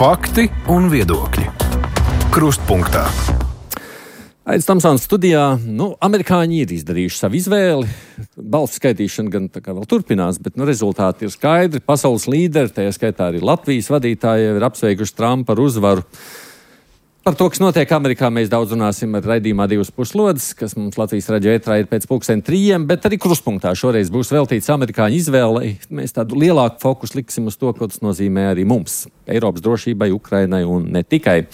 Fakti un viedokļi. Krustpunktā. Aidis Tamsons studijā. Amerikāņi ir izdarījuši savu izvēli. Balsu skaitīšana gan tā kā vēl turpinās, bet rezultāti ir skaidri. Pasaules līderi, tajā skaitā arī Latvijas vadītāji, ir apsveikuši Trumpa ar uzvaru. Par to, kas notiek Amerikā, mēs daudz runāsim ar raidījumā 2 puslodes, kas mums Latvijas radio ētrā ir pēc 2:30, bet arī Krustpunktā šoreiz būs veltīts amerikāņu izvēlei. Mēs tādu lielāku fokusu liksim uz to, ko tas nozīmē arī mums, Eiropas drošībai, Ukrainai un ne tikai.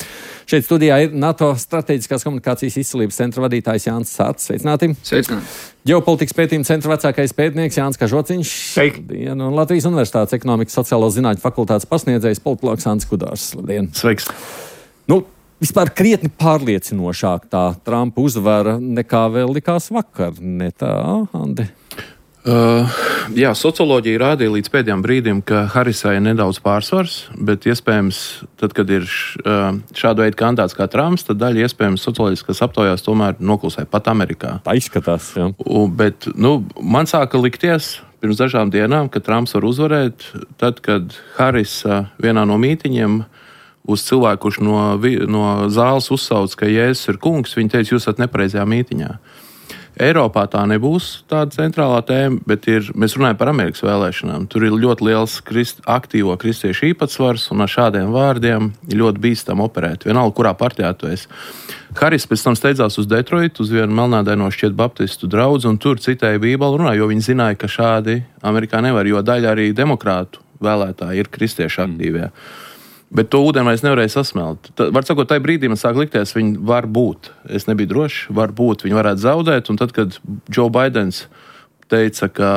Šeit studijā ir NATO strateģiskās komunikācijas izcilības centra vadītājs Jānis Sāts. Sveicināti! Sveicināti! Ģeopolitikas pētījuma centra vecākais pētnieks Jānis Kažociņš. Sveiki! Un Latvijas Universitātes ekonomikas sociālo zinātņu fakultātes pasniedzējs politologs Andris Kudārs. Labdien! Sveiks! Vispār krietni pārliecinošāk tā Trumpa uzvara nekā vēl likās vakar, ne tā, Andi? Jā, socioloģija rādīja līdz pēdējiem brīdim, ka Harisai ir nedaudz pārsvars, bet iespējams, tad, kad ir šāda veida kandidāts kā Trumps, tad daļa iespējams socioloģiskas aptaujās tomēr noklusē pat Amerikā. Tā izskatās, jā. Bet, man sāka likties pirms dažām dienām, ka Trumps var uzvarēt, tad, kad Harisa vienā no mītiņiem uz cilvēku, kurš no zāles uzsauc, ka Jēzus ir kungs, viņi teica, jūs esat nepareizajā mītiņā. Eiropā tā nebūs tāda centrālā tēma, bet mēs runājam par Amerikas vēlēšanām. Tur ir ļoti liels aktīvo kristiešu īpatsvars, un ar šādiem vārdiem ir ļoti bīstam operēt. Vienalga, kurā partijā tu esi. Haris pēc tam steidzās uz Detroitu, uz vienu melnādaino šķiet baptistu draudzi, un tur citēja Bībeli runā, jo viņi zināja, ka šādi Amerikā nevar, jo daļa arī demokrātu vēlētāji ir kristiešu aktīvie. Bet to ūdeni vairs nevarēja sasmelt. Var sakot, tajā brīdī man sāk likties, viņi var būt. Es nebiju drošs, var būt, viņi varētu zaudēt. Un tad, kad Joe Bidenis teica, ka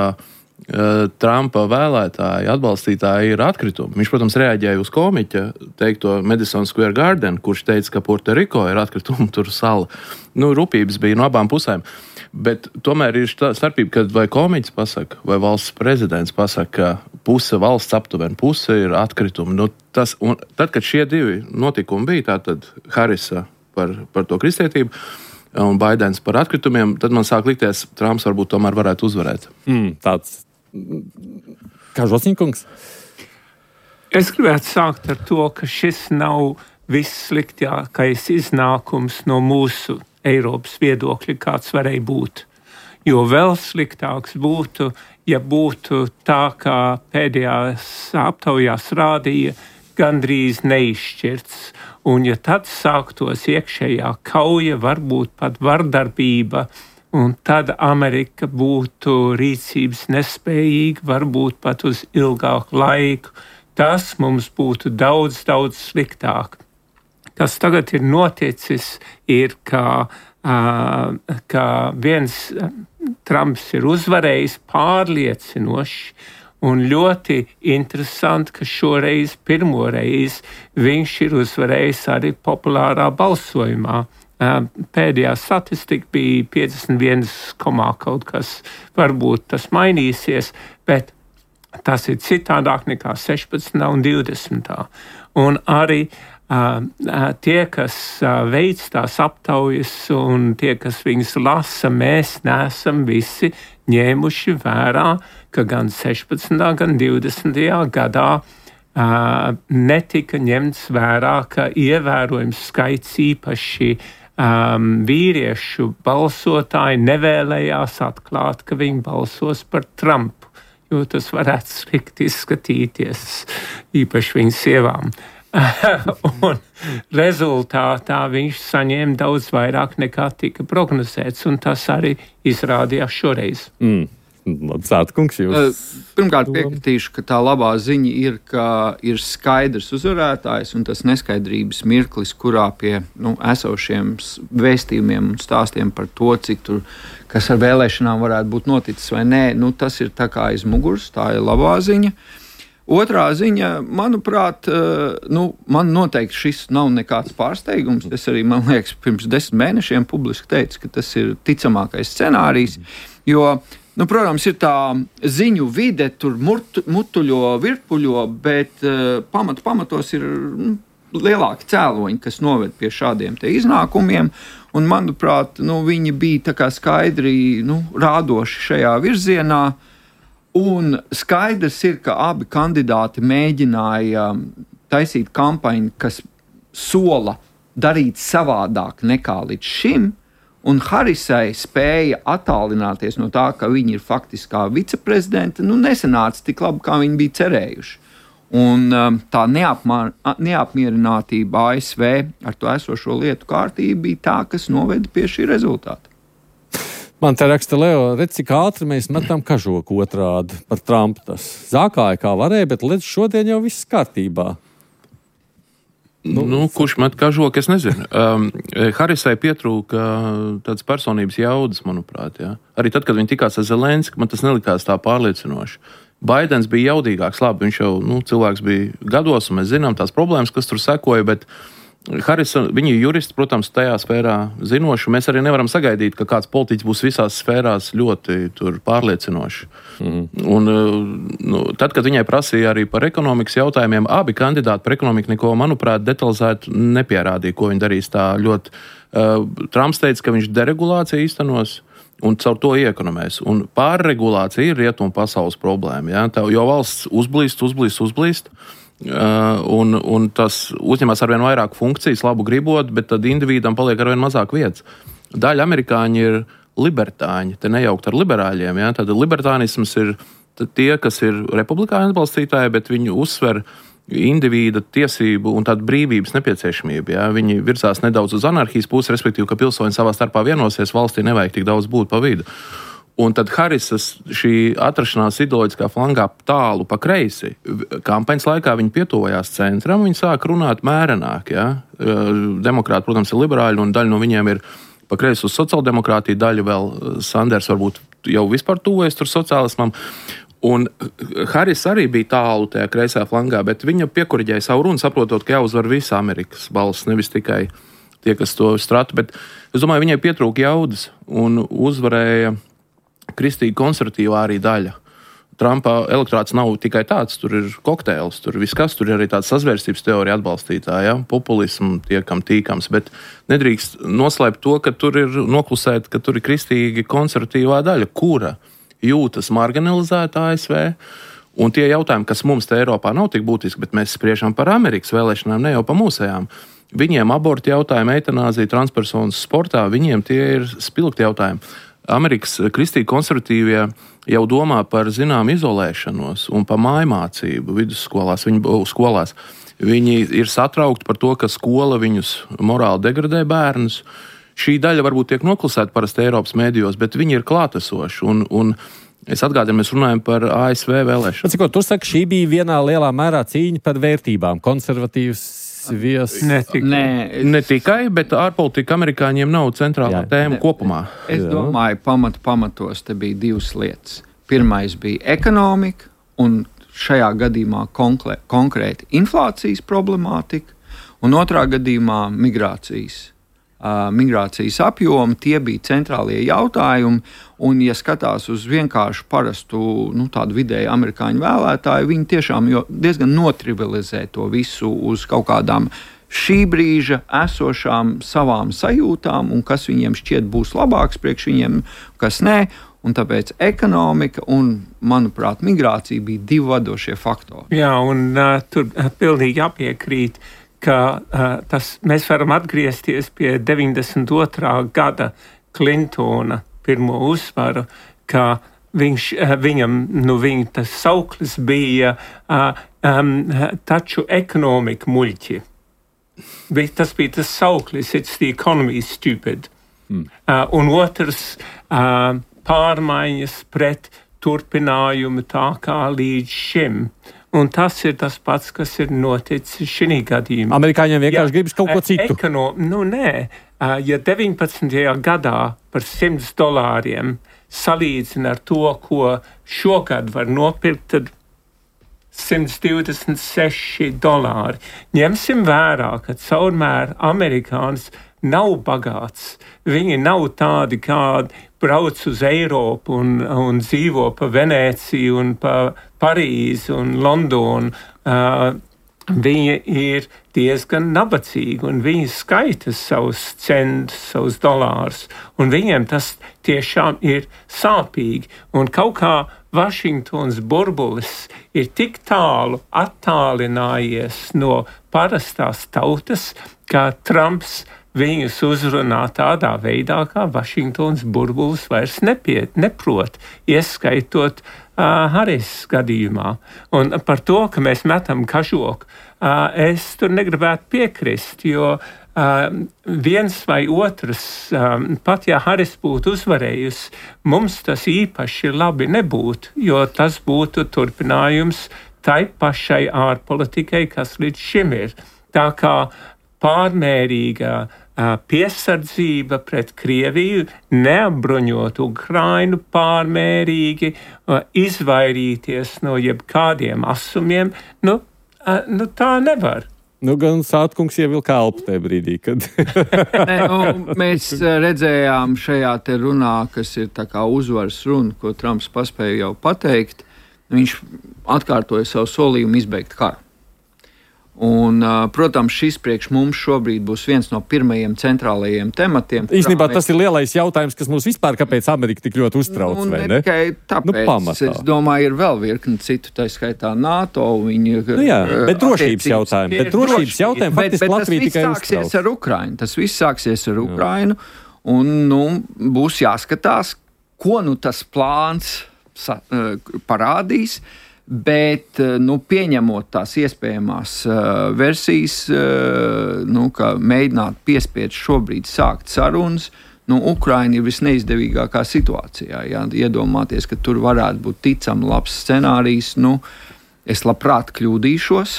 Trumpa vēlētāji, atbalstītāji ir atkritumi, viņš, protams, reaģēja uz komiķa teikto Madison Square Garden, kurš teica, ka Puerto Rico ir atkritumi, tur sala. Rūpības bija no abām pusēm. Bet tomēr ir starpība, kad vai komiķis pasaka, vai valsts prezidents pasaka, ka puse valsts aptuveni, puse ir atkritumi. Tad, kad šie divi notikumi bija, tātad Harisa par to kristietību un Baidens par atkritumiem, tad man sāk likties, Trumps varbūt tomēr varētu uzvarēt. Tāds Kažociņkungs. Es gribētu sākt ar to, ka šis nav vissliktākais iznākums no mūsu Eiropas viedokļa, kāds varēja būt. Jo vēl sliktāks būtu, ja būtu tā, kā pēdējās aptaujās rādīja, gandrīz neizšķirts. Un ja tad sāktos iekšējā kauja, varbūt pat vardarbība, un tad Amerika būtu rīcības nespējīga, varbūt pat uz ilgāku laiku, tas mums būtu daudz, daudz sliktāk. Kas tagad ir noticis, ir, ka viens Trumps ir uzvarējis pārliecinoši, un ļoti interesanti, ka šoreiz pirmo reizi viņš ir uzvarējis arī populārā balsojumā. Pēdējā statistika bija 51, kaut kas, varbūt tas mainīsies, bet tas ir citādāk nekā 16. un 20. Un arī tie, kas veic tās aptaujas un tie, kas viņas lasa, mēs neesam visi ņēmuši vērā, ka gan 16. gan 20. gadā netika ņemts vērā, ka ievērojams skaits īpaši vīriešu balsotāji nevēlējās atklāt, ka viņi balsos par Trumpu, jo tas varētu slikti izskatīties īpaši viņu sievām. Un rezultātā viņš saņēma daudz vairāk nekā tika prognozēts, un tas arī izrādījās šoreiz. Sātkungs, jūs? Pirmkārt piekritīšu, ka tā labā ziņa ir, ka ir skaidrs uzvarētājs, un tas neskaidrības mirklis, kurā pie esošiem vēstījumiem un stāstiem par to, cik tur, kas ar vēlēšanām varētu būt noticis vai nē, tas ir tā kā aiz muguras, tā ir labā ziņa. Otrā ziņa, manuprāt, man noteikti šis nav nekāds pārsteigums. Es arī, man liekas, pirms 10 mēnešiem publiski teicu, ka tas ir ticamākais scenārijs, jo, protams, ir tā ziņu vide, tur mutuļo, virpuļo, bet pamatos ir lielāki cēloņi, kas noved pie šādiem te iznākumiem, un, manuprāt, viņi bija tā kā skaidri, rādoši šajā virzienā. Un skaidrs ir, ka abi kandidāti mēģināja taisīt kampaņu, kas sola darīt savādāk nekā līdz šim, un Harisai spēja attālināties no tā, ka viņa ir faktiskā viceprezidente, nesanāca tik labi, kā viņi bija cerējuši. Un tā neapmierinātība ASV ar to esošo lietu kārtību bija tā, kas noveda pie šī rezultāta. Man te raksta Leo, redz, cik ātri mēs metam kažoku otrādi par Trumpu. Tas zākāja kā varēja, bet līdz šodien jau viss kārtībā. Kurš met kažoku, es nezinu. Harisai pietrūka tādas personības jaudas, manuprāt. Ja? Arī tad, kad viņi tikās ar Zelenski, man tas nelikās tā pārliecinoši. Baidens bija jaudīgāks, labi, viņš jau cilvēks bija gados, un mēs zinām tās problēmas, kas tur sekoja, bet Harisa, viņi ir juristi, protams, tajā sfērā zinoši. Mēs arī nevaram sagaidīt, ka kāds politiķis būs visās sfērās ļoti pārliecinoši. Un, tad, kad viņai prasīja arī par ekonomikas jautājumiem, abi kandidāti par ekonomiku neko, manuprāt, detalizēti nepierādīja, ko viņi darīs tā ļoti. Trumps teica, ka viņš deregulāciju īstenos un caur to iekonomēs. Un pārregulācija ir rietumu pasaules problēma. Ja? Jo valsts uzblīst. Un tas uzņemas arvien vairāk funkcijas, labu gribot, bet tad individam paliek arvien mazāk vietas. Daļa amerikāņi ir libertāņi, te nejaukt ar liberāļiem. Ja? Tad libertānisms ir tie, kas ir republikāņu atbalstītāji, bet viņi uzsver individa tiesību un tādu brīvības nepieciešamību. Ja? Viņi virzās nedaudz uz anarhijas pusi, respektīvi, ka pilsoņi savā starpā vienosies, valstī nevajag tik daudz būt pa vidu. Un tad Harisas šī atrašanās ideoloģiskā flangā tālu pa kreisi, kampaņas laikā viņi pietuvojās centram, viņi sāk runāt mērenāk. Ja? Demokrāti, protams, ir liberāļi, un daļa no viņiem ir pa kreisi uz sociāldemokrātiju, daļa vēl Sanders varbūt jau vispār tuvojas tur sociālismam. Un Haris arī bija tālu tajā kreisā flangā, bet viņa piekuriģēja savu runu, saprotot, ka jāuzvar visa Amerikas balss, nevis tikai tie, kas to strata. Bet es domāju, viņai pietrūka jaudas un uzvarēja kristīgi konservatīvā arī daļa. Trumpa elektorāts nav tikai tāds, tur ir kokteils, tur viss kas, tur ir arī tāds sazvērstības teorija atbalstītāji, ja? Populismu tiekam tīkams, bet nedrīkst noslēpt to, ka tur ir noklusēt, ka tur ir kristīgi konservatīvā daļa, kura jūtas marginalizēta ASV, un tie jautājumi, kas mums te Eiropā nav tik būtiski, bet mēs spriežam par Amerikas vēlēšanām, ne jau pa mūsējām. Viņiem aborti jautājumi, eitanāzija, transpersonas sportā, viņiem tie ir spilgti jautājumi. Amerikas kristīgi konservatīvie jau domā par zinām izolēšanos un par mājmācību vidusskolās, skolās. Viņi ir satraukti par to, ka skola viņus morāli degradē bērnus. Šī daļa varbūt tiek noklusēta parasti Eiropas mēdījos, bet viņi ir klātesoši. Un es atgādinu, mēs runājam par ASV vēlēšanu. Cik tu saki, šī bija vienā lielā mērā cīņa par vērtībām, konservatīvs Ne tikai, bet ārpolitika amerikāņiem nav centrālā tēma kopumā. Es domāju, pamatos te bija divas lietas. Pirmais bija ekonomika, un šajā gadījumā konkrēti inflācijas problemātika, un otrā gadījumā migrācijas apjomi, tie bija centrālie jautājumi, un ja skatās uz vienkārši parastu, tādu vidēju amerikāņu vēlētāju, viņi tiešām diezgan notrivializē to visu uz kaut kādām šī brīža esošām savām sajūtām, un kas viņiem šķiet būs labāks priekš viņiem, kas nē, un tāpēc ekonomika un, manuprāt, migrācija bija divi vadošie faktori. Jā, un tur pilnīgi jāpiekrīt, ka mēs varam atgriezties pie 92. gada Klintona pirmo uzsvaru, ka viņam tas sauklis bija taču ekonomika muļķi. Tas bija tas sauklis, it's the economy stupid. Un otrs pārmaiņas pret turpinājumu tā kā līdz šim. Un tas ir tas pats, kas ir noticis šī gadījumā. Amerikāņiem vienkārši gribas kaut ko citu. Nē. Ja 19. gadā par $100 salīdzina ar to, ko šogad var nopirkt, tad $126. Ņemsim vērā, ka caurmēr amerikānis nav bagāts. Viņi nav tādi, kādi brauc uz Eiropu un dzīvo pa Venēciju un pa Parīzi un Londonu. Viņi ir diezgan nabadzīgi un viņi skaita savus centus, savus dolārus. Un viņiem tas tiešām ir sāpīgi. Un kaut kā Vašingtons burbulis ir tik tālu attālinājies no parastās tautas, ka Trumps viņus uzrunā tādā veidā, kā Vašingtons burbulis vairs neprot, ieskaitot Haris gadījumā. Un par to, ka mēs metam kažoku, es tur negribētu piekrist, jo viens vai otrs, pat ja Haris būtu uzvarējusi, mums tas īpaši labi nebūtu, jo tas būtu turpinājums tai pašai ārpolitikai, kas līdz šim ir. Tā kā pārmērīga piesardzība pret Krieviju, neapbruņot Ukrainu pārmērīgi, izvairīties no jebkādiem asumiem, tā nevar. Gan Sātkungs ievilka elpu tajā brīdī, kad... Mēs redzējām šajā te runā, kas ir tā kā uzvaras runa, ko Trumps paspēja jau pateikt. Viņš atkārtoja savu solījumu izbeigt karu. Un, protams, šis priekš mums šobrīd būs viens no pirmajiem centrālajiem tematiem. Īstenībā tas ir lielais jautājums, kas mums vispār, kāpēc Amerika tik ļoti uztrauc, vai ne? Tikai tāpēc, es domāju, ir vēl virkni citu, tā skaitā NATO. Bet drošības jautājumi. Faktiski Latvija tikai uztrauc. Tas viss sāksies ar Ukrainu, un būs jāskatās, ko tas plāns parādīs. Bet, pieņemot tās iespējamās versijas, ka mēģināt piespiest šobrīd sākt sarunas, Ukraina ir visneizdevīgākā situācijā. Jā, iedomāties, ka tur varētu būt ticami labs scenārijs, es labprāt kļūdīšos.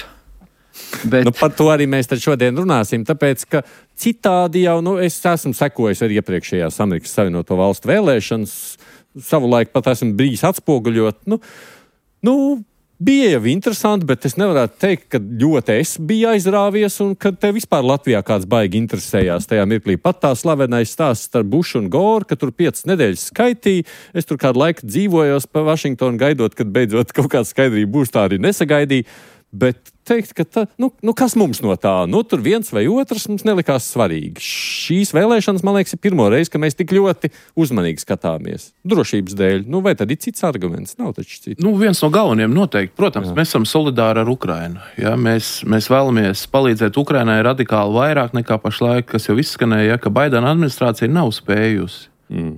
Bet... par to arī mēs tad šodien runāsim, tāpēc, ka citādi jau, es esmu sekojis arī iepriekšējās Amerikas Savienoto Valstu vēlēšanas, savulaik pat esmu bijis atspoguļot, bija jau interesanti, bet es nevarētu teikt, ka ļoti es biju aizrāvies un ka te vispār Latvijā kāds baigi interesējās tajā mirklī. Pat tā slavenais stāsts starp Bušu un Goru, ka tur 5 nedēļas skaitīja. Es tur kādu laiku dzīvojos pa Vašingtonu gaidot, kad beidzot kaut kāda skaidrība būs, tā arī nesagaidīja. Bet teikt, ka kas mums no tā? Tur viens vai otrs mums nelikās svarīgi. Šīs vēlēšanas, man liekas, ir pirmo reizi, ka mēs tik ļoti uzmanīgi skatāmies. Drošības dēļ. Vai tad ir cits arguments? Nav taču cits. Viens no galvenajiem noteikti. Protams, mēs esam solidāri ar Ukrainu. Ja? Mēs vēlamies palīdzēt Ukrainai radikāli vairāk nekā pašlaik, kas jau izskanēja, ka Baidena administrācija nav spējusi.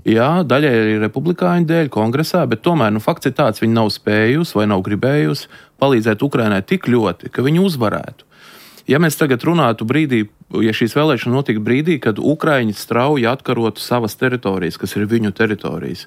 Jā, daļai arī republikāņu dēļ kongresā, bet tomēr fakts ir tāds, viņi nav spējusi vai nav gribējusi palīdzēt Ukrainai tik ļoti, ka viņi uzvarētu. Ja mēs tagad runātu brīdī, ja šīs vēlēšanas notika brīdī, kad Ukraiņi strauji atkarotu savas teritorijas, kas ir viņu teritorijas,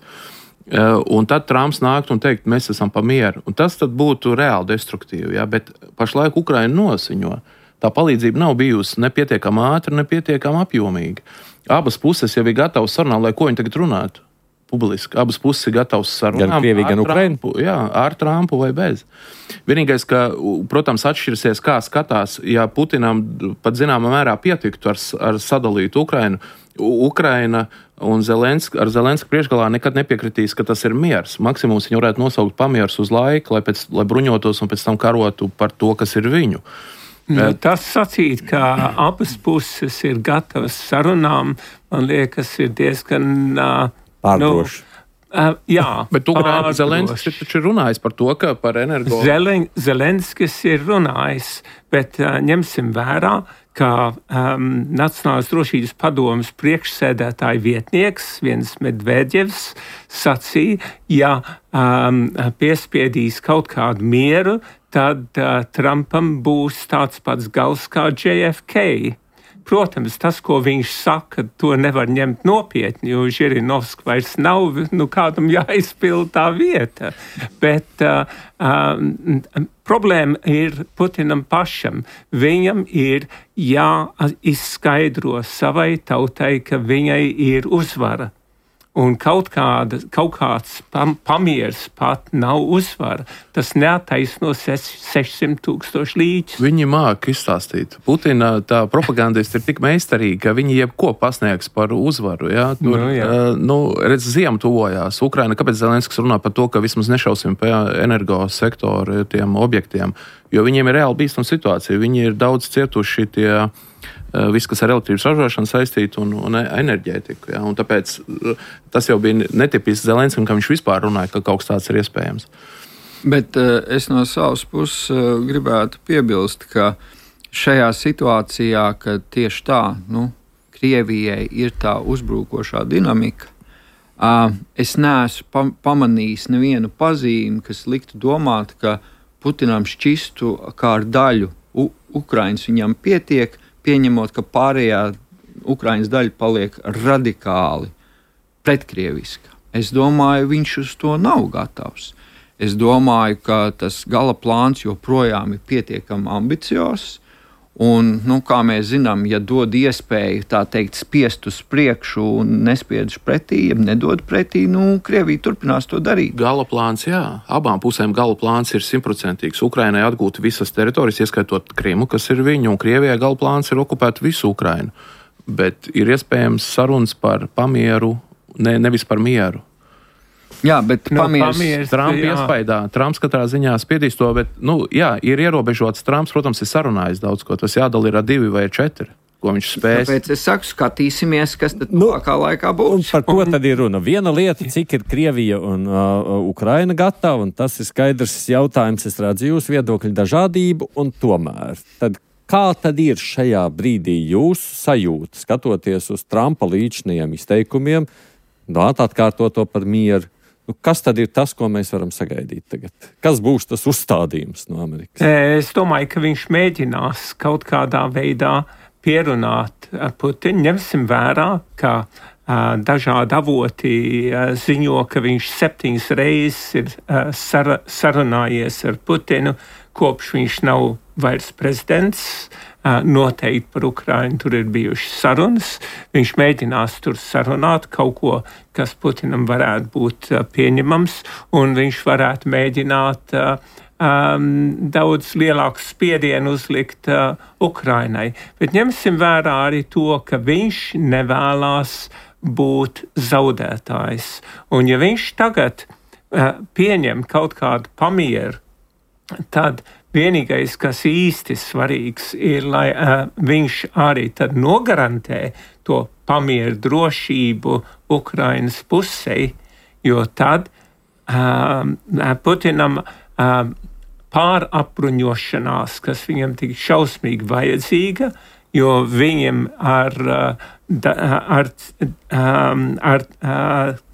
un tad Trumps nāktu un teikt, mēs esam pa mieru, un tas tad būtu reāli destruktīvi, ja? Bet pašlaik Ukraina nosiņo. Tā palīdzība nav bijusi nepietiekama ātra, nepietiekama apjomīga. Abas puses jau ir gatavas sarunāt, lai ko viņi tagad runātu publiski. Abas puses ir gatavas sarunāt. Gan Krievija, gan Ukraina? Jā, ar Trumpu vai bez. Vienīgais, ka, protams, atšķirsies, kā skatās, ja Putinam pat zināmā mērā pietiktu ar sadalītu Ukrainu. Ukraina un ar Zelenska priekšgalā nekad nepiekritīs, ka tas ir miers. Maksimums viņi varētu nosaukt pamiers uz laiku, lai bruņotos un pēc tam karotu par to, kas ir viņu. Tas sacīt, ka abas puses ir gatavas sarunām, man liekas, ir diezgan pārdroši. Jā, bet Zelenskis taču ir runājis par to, ka par energo... Zelenskis ir runājis, bet ņemsim vērā, ka Nacionālās drošības padomes priekšsēdētāja vietnieks, viens Medvedjevs, sacīja, ja piespiedīs kaut kādu mieru, tad Trumpam būs tāds pats gals kā JFK. Protams, tas, ko viņš saka, to nevar ņemt nopietni, jo Žirinovska vairs nav kādam jāizpild tā vieta. Bet problēma ir Putinam pašam. Viņam ir jāizskaidro savai tautai, ka viņai ir uzvara. Un kaut kāds pamieris pat nav uzvara. Tas neattaisno 600,000 līķus. Viņi māk izstāstīt. Putina tā propagandisti ir tik meistarīgi, ka viņi jebko pasniegs par uzvaru. Ja? Tur, redz, ziema tuvojās. Ukraina, kāpēc Zelenskis runā par to, ka vismaz nešausim pie energo sektoru tiem objektiem? Jo viņiem ir reāli bīstama situācija. Viņi ir daudz cietuši tie viss, kas ar elektrības ražošanu saistīts un enerģētiku. Ja? Un tāpēc tas jau bija netipisks Zelenskam, ka viņš vispār runāja, ka kaut kas tāds ir iespējams. Bet es no savas puses gribētu piebilst, ka šajā situācijā, ka tieši tā, Krievijai ir tā uzbrukošā dinamika, es neesmu pamanījis nevienu pazīmi, kas liktu domāt, ka Putinam šķistu kā ar daļu Ukrainas viņam pietiek, pieņemot, ka pārējā Ukrainas daļa paliek radikāli pretkrieviska. Es domāju, viņš uz to nav gatavs. Es domāju, ka tas gala plāns joprojām ir pietiekami ambiciozs. Un, kā mēs zinām, ja dod iespēju tā teikt spiest uz priekšu un nespiedž pretī, ja nedod pretī, Krievija turpinās to darīt. Gala plāns, jā. Abām pusēm gala plāns ir 100%. Ukrainai atgūt visas teritorijas, ieskaitot Krimu, kas ir viņa, un Krievijai gala plāns ir okupēt visu Ukrainu. Bet ir iespējams sarunas par pamieru, nevis par mieru. Jā, bet pamieris Trumpa iespaidā. Trumps katrā ziņā spiedīs to, bet, ir ierobežots. Trumps, protams, ir sarunājis daudz ko. Tas jādala ir ar 2 vai 4, ko viņš spēs. Tāpēc es saku, skatīsimies, kas tad tuvākā laikā būs. Un par ko tad ir runa? Viena lieta, cik ir Krievija un Ukraina gatava, un tas ir skaidrs jautājums. Es redzu jūsu viedokļu dažādību, un tomēr. Tad kā tad ir šajā brīdī jūsu sajūta, skatoties uz Trumpa līdzinājiem izteikumiem, atkārtot to par mieru? Kas tad ir tas, ko mēs varam sagaidīt tagad? Kas būs tas uzstādījums no Amerikas? Es domāju, ka viņš mēģinās kaut kādā veidā pierunāt Putinu. Ņemsim vērā, ka dažādi avoti ziņo, ka viņš 7 reizes ir sarunājies ar Putinu, kopš viņš nav vairs prezidents. Noteikti par Ukrainu tur ir bijušas sarunas. Viņš mēģinās tur sarunāt kaut ko, kas Putinam varētu būt pieņemams, un viņš varētu mēģināt daudz lielāku spiedienu uzlikt Ukrainai. Bet ņemsim vērā arī to, ka viņš nevēlās būt zaudētājs. Un ja viņš tagad pieņem kaut kādu pamieru, tad vienīgais, kas īsti svarīgs, ir, lai viņš arī tad nogarantē to pamieru drošību Ukrainas pusē, jo tad Putinam pārapbruņošanās, kas viņam tik šausmīgi vajadzīga, jo viņam ar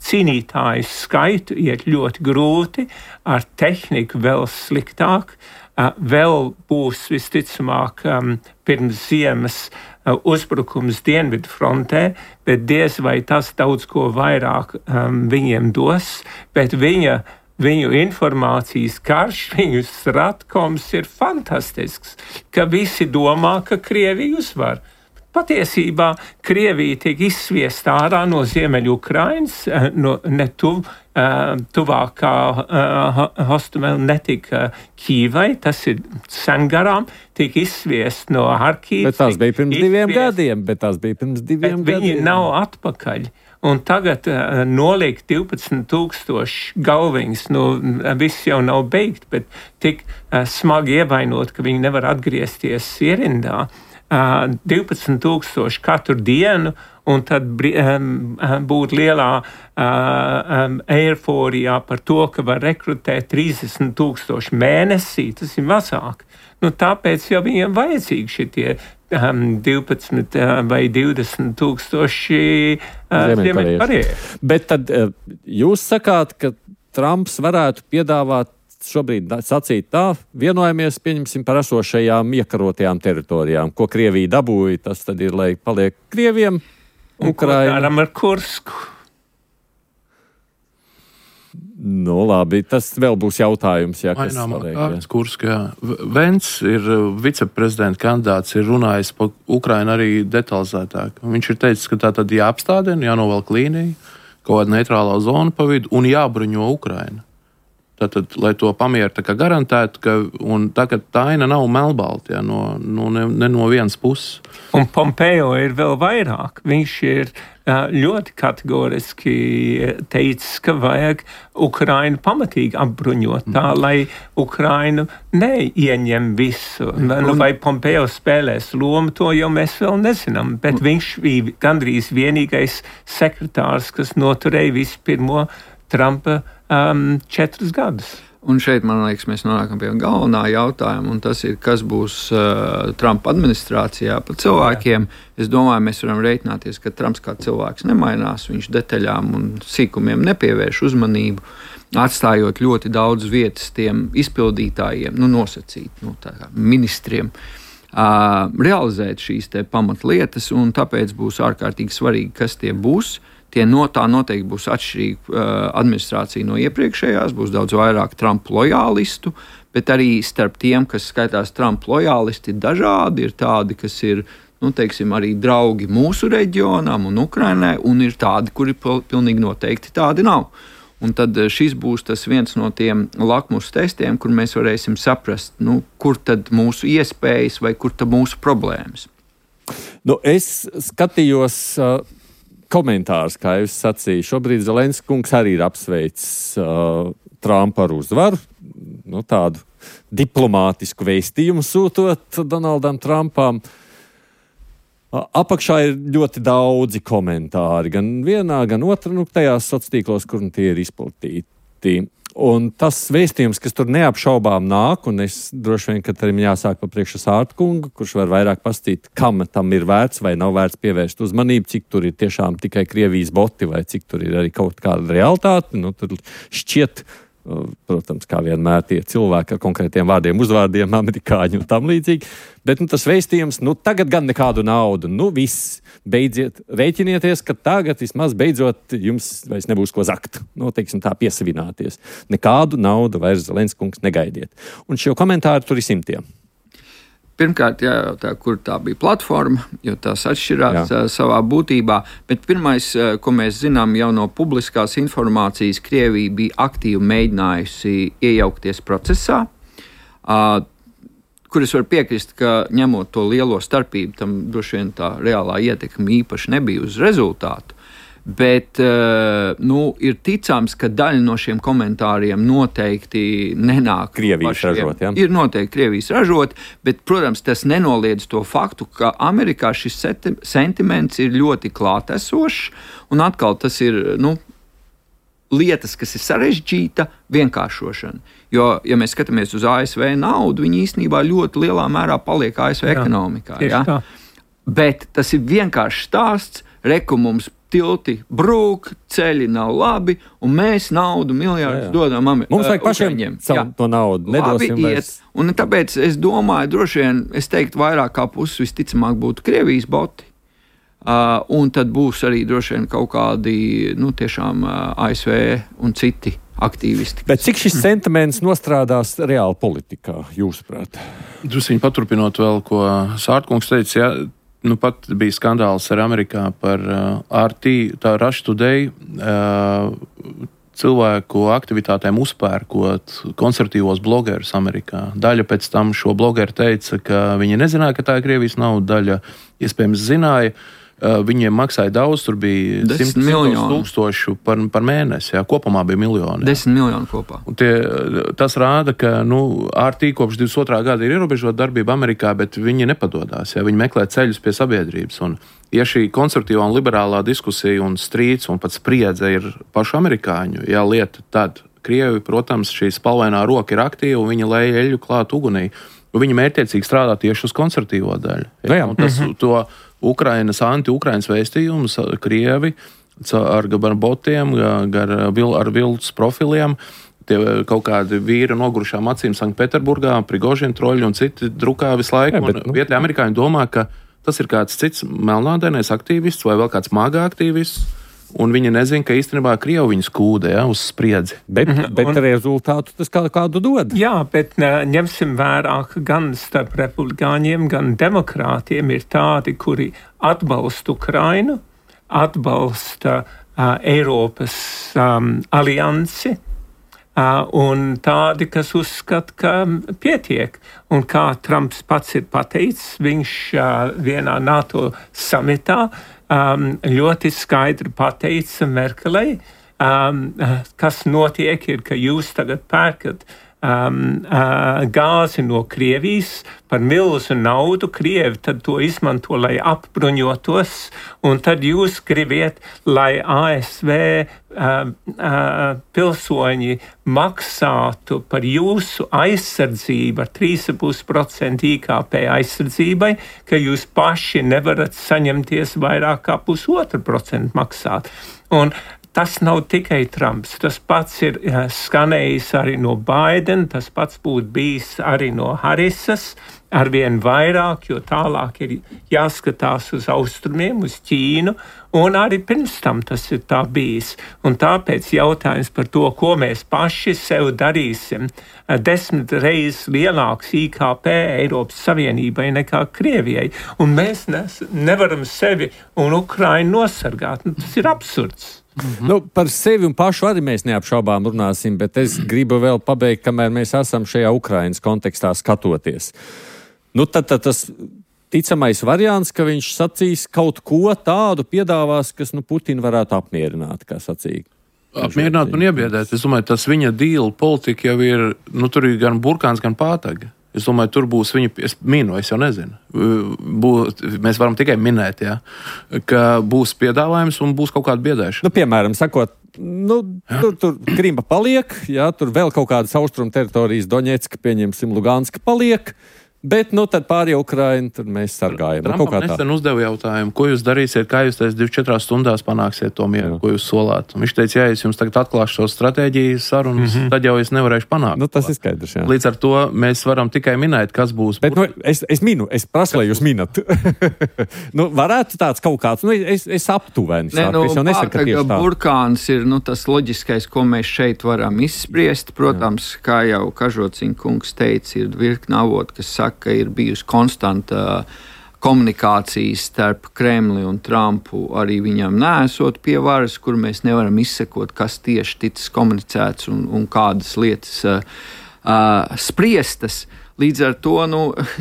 cīnītāju skaitu iet ļoti grūti, ar tehniku vēl sliktāk. Vēl būs visticamāk pirms ziemas uzbrukums Dienvidu frontē, bet diez vai tas daudz ko vairāk viņiem dos, bet viņu informācijas karš, viņu stratkoms ir fantastisks, ka visi domā, ka Krievija uzvar. Patiesībā Krievija tiek izsviesta ārā no Ziemeļukrainas, tuvākā Hostomela netika Kīvai, tas ir sen garām, tiek izsviesta no Harkivas. Bet tās bija pirms 2 gadiem. Viņi nav atpakaļ. Un tagad noliek 12,000 galviņas, viss jau nav beigt, bet tik smagi ievainot, ka viņi nevar atgriezties ierindā. 12,000 katru dienu, un tad būt lielā eiforijā par to, ka var rekrutēt 30,000 mēnesī, tas ir mazāk. Tāpēc jau viņiem vajadzīgi šitie 12 vai 20,000 ziemeļkarieši. Bet tad jūs sakāt, ka Trumps varētu piedāvāt šobrīd sacīt tā, vienojamies, pieņemsim par esošajām iekarotajām teritorijām, ko Krievija dabūja, tas tad ir, lai paliek Krieviem, Ukraina. Un ko daram ar Kursku? Labi, tas vēl būs jautājums, kas svarīgi. Kursk, jā. Vents ir viceprezidenta kandidāts, ir runājis par Ukrainu arī detalizētāk. Viņš ir teicis, ka tā tad jāapstādina, jānovelk līnija, kaut kāda neitrālā zona pa vidu un jābruņo Ukraina. Tātad, lai to pamieru tā kā garantētu, un tagad tā aina nav melbalta, ne no vienas puses. Un Pompeo ir vēl vairāk. Viņš ir ļoti kategoriski teicis, ka vajag Ukrainu pamatīgi apbruņot tā, lai Ukrainu neieņem visu. Vai Pompeo spēlēs lomu, to jau mēs vēl nezinām, bet viņš bija gandrīz vienīgais sekretārs, kas noturēja visu pirmo Trumpa 4 gadus. Un šeit, man liekas, mēs nonākam pie galvenā jautājuma, un tas ir, kas būs Trumpa administrācijā par cilvēkiem. Es domāju, mēs varam rēķināties, ka Trumps kā cilvēks nemainās, viņš detaļām un sīkumiem nepievērš uzmanību, atstājot ļoti daudz vietas tiem izpildītājiem, nosacīt, ministriem, realizēt šīs te pamatlietas, un tāpēc būs ārkārtīgi svarīgi, kas tie būs. Tā noteikti būs atšķirīga administrācija no iepriekšējās, būs daudz vairāk Trumpa lojālistu, bet arī starp tiem, kas skaitās Trumpa lojālisti, dažādi ir tādi, kas ir, arī draugi mūsu reģionam un Ukrainai, un ir tādi, kuri pilnīgi noteikti tādi nav. Un tad šis būs tas viens no tiem lakmus testiem, kur mēs varēsim saprast, kur tad mūsu iespējas vai kur tad mūsu problēmas. Es skatījos komentārs, kā jūs sacīju. Šobrīd Zelenskis kungs arī ir apsveicis Trumpa ar uzvaru, tādu diplomātisku vēstījumu sūtot Donaldam Trumpam. Apakšā ir ļoti daudzi komentāri, gan vienā, gan otrā, tajās sociālos tīklos, kur tie ir izplatīti. Un tas vēstījums, kas tur neapšaubām nāk, un es droši vien, ka tam jāsāk pa priekšu Sārta kungu, kurš var vairāk pastāstīt, kam tam ir vērts vai nav vērts pievērst uzmanību, cik tur ir tiešām tikai Krievijas boti vai cik tur ir arī kaut kāda realitāte. Tur šķiet, protams, kā vienmēr tie cilvēki ar konkrētiem vārdiem, uzvārdiem, amerikāņi un tam līdzīgi. Bet tas vēstījums, tagad gan nekādu naudu, viss, beidziet, rēķinieties, ka tagad vismaz beidzot jums vairs nebūs ko zakt. Teiksim tā, piesavināties. Nekādu naudu vairs Zelenskis kungs negaidiet. Un šo komentāru tur ir simtiem. Pirmkārt, jājautā, kur tā bija platforma, jo tās atšķirās savā būtībā. Bet pirmais, ko mēs zinām jau no publiskās informācijas, Krievija bija aktīvi mēģinājusi iejaukties procesā, kur es varu piekrist, ka ņemot to lielo starpību, tam droši vien tā reālā ietekme īpaši nebija uz rezultātu. Bet ir ticams, ka daļa no šiem komentāriem noteikti nenāk Krievijas ražot. Ja? Ir noteikti Krievijas ražot, bet, protams, tas nenoliedz to faktu, ka Amerikā šis sentiments ir ļoti klātesošs, un atkal tas ir lietas, kas ir sarežģīta vienkāršošana. Jo, ja mēs skatāmies uz ASV naudu, viņi īstenībā ļoti lielā mērā paliek ASV ekonomikā. Ja? Bet tas ir vienkāršs stāsts, mums tilti brūk, ceļi nav labi, un mēs naudu miljardus dodam Amerikā. Mums vajag pašiem to naudu, nedosim vairs. Un tāpēc es domāju, droši vien, es teiktu, vairāk kā puses visticamāk būtu Krievijas boti, un tad būs arī droši vien kaut kādi, tiešām ASV un citi aktīvisti. Bet cik šis sentiments nostrādās reāli politikā, jūsuprāt? Drusciņi paturpinot vēl, ko Sārtkungs teica, pat bija skandāls ar Amerikā par RT, tā Russia Today, cilvēku aktivitātēm uzpērkot konservatīvos blogerus Amerikā. Daļa pēc tam šo blogeru teica, ka viņi nezināja, ka tā ir Krievijas nauda, daļa iespējams zināja. Viņiem maksāja daudz, tur bija 100 tūkstoši par mēnesi, kopumā bija miljoni. 10 miljoni kopā. Tas rāda, ka RT kopš 22. gada ir ierobežota darbība Amerikā, bet viņi nepadodās, viņi meklē ceļus pie sabiedrības. Un, ja šī konservatīvā un liberālā diskusija un strīds un pat spriedze ir pašu amerikāņu lieta, tad Krievi, protams, šī spalvainā roka ir aktīva un viņi lej eļļu klāt ugunī. Viņi mērķiecīgi strādā tieši uz konservatīvo daļu. Un tas, to anti-Ukrainas vēstījumus Krievi ar botiem, ar viltus profiliem, tie kaut kādi vīri nogurušām acīm Sanktpēterburgā, Prigožina troļi un citi drukā visu laiku. Vietējie amerikāņi domā, ka tas ir kāds cits melnādainais aktīvists vai vēl kāds māgā aktīvists. Un viņi nezina, ka īstenībā Krievi viņus kūdē uz spriedzi. Bet rezultātu tas kādu dod. Jā, bet ņemsim vērā, ka gan starp republikāņiem, gan demokrātiem ir tādi, kuri atbalsta Ukrainu, atbalsta Eiropas aliansi, un tādi, kas uzskata, ka pietiek. Un kā Trumps pats ir pateicis, viņš vienā NATO samitā ļoti skaidri pateica Merkelei, kas notiek ir, ka jūs tagad pērkat gāzi no Krievijas par milzu naudu. Krievi tad to izmanto, lai apbruņotos, un tad jūs gribiet, lai ASV pilsoņi maksātu par jūsu aizsardzību ar 3,5% IKP aizsardzībai, ka jūs paši nevarat saņemties vairāk kā 0,5% maksāt. Un tas nav tikai Trumps, tas pats ir skanējis arī no Biden, tas pats būtu bijis arī no Harrisas, arvien vairāk, jo tālāk ir jāskatās uz austrumiem, uz Ķīnu, un arī pirms tam tas ir tā bijis. Un tāpēc jautājums par to, ko mēs paši sev darīsim, 10 reizes lielāks IKP Eiropas Savienībai nekā Krievijai, un mēs nevaram sevi un Ukrainu nosargāt. Tas ir absurds. Nu, par sevi un pašu arī mēs neapšaubām runāsim, bet es gribu vēl pabeigt, kamēr mēs esam šajā Ukrainas kontekstā skatoties. Nu, tad tas ticamais variants, ka viņš sacīs kaut ko tādu piedāvās, kas Putinu varētu apmierināt, kā sacīja. Apmierināt un iebiedēt. Es domāju, tas viņa deal politika jau ir, tur ir gan burkāns, gan pātaga. Es domāju, tur būs viņa, es jau nezinu. Mēs varam tikai minēt, ka būs piedāvājums un būs kaut kāda biedēšana. Piemēram, sakot, tur Krima paliek, tur vēl kaut kādas austrumu teritorijas, Doņetska, pieņemsim, Luganska paliek, bet tad pārējie Ukraina, tur mēs sargājam. Trumpam nesen uzdeva jautājumu, ko jūs darīsiet, kā jūs 24 stundās panāksiet to mieru, ko jūs solāt. Un viņš teica, ja es jums tagad atklāšu šo stratēģiju sarunas, tad jau es nevarēšu panākt. Tas ir skaidrs, jā. Līdz ar to mēs varam tikai minēt, kas būs. Bet es prasu, lai jūs minat. Varētu tāds kaut kāds, es aptuveni sāku. Es jau nesaku, ka tieši tā. Burkāns ir tas loģiskais, ko mēs šeit varam izspriest. Protams, kā jau Kažociņa kungs teica, ir virkna avoti, kas saka, ka ir bijusi konstanta komunikācija starp Kremli un Trumpu, arī viņam neesot pie varas, kur mēs nevaram izsekot, kas tieši ticis komunicēts un kādas lietas spriestas. Līdz ar to,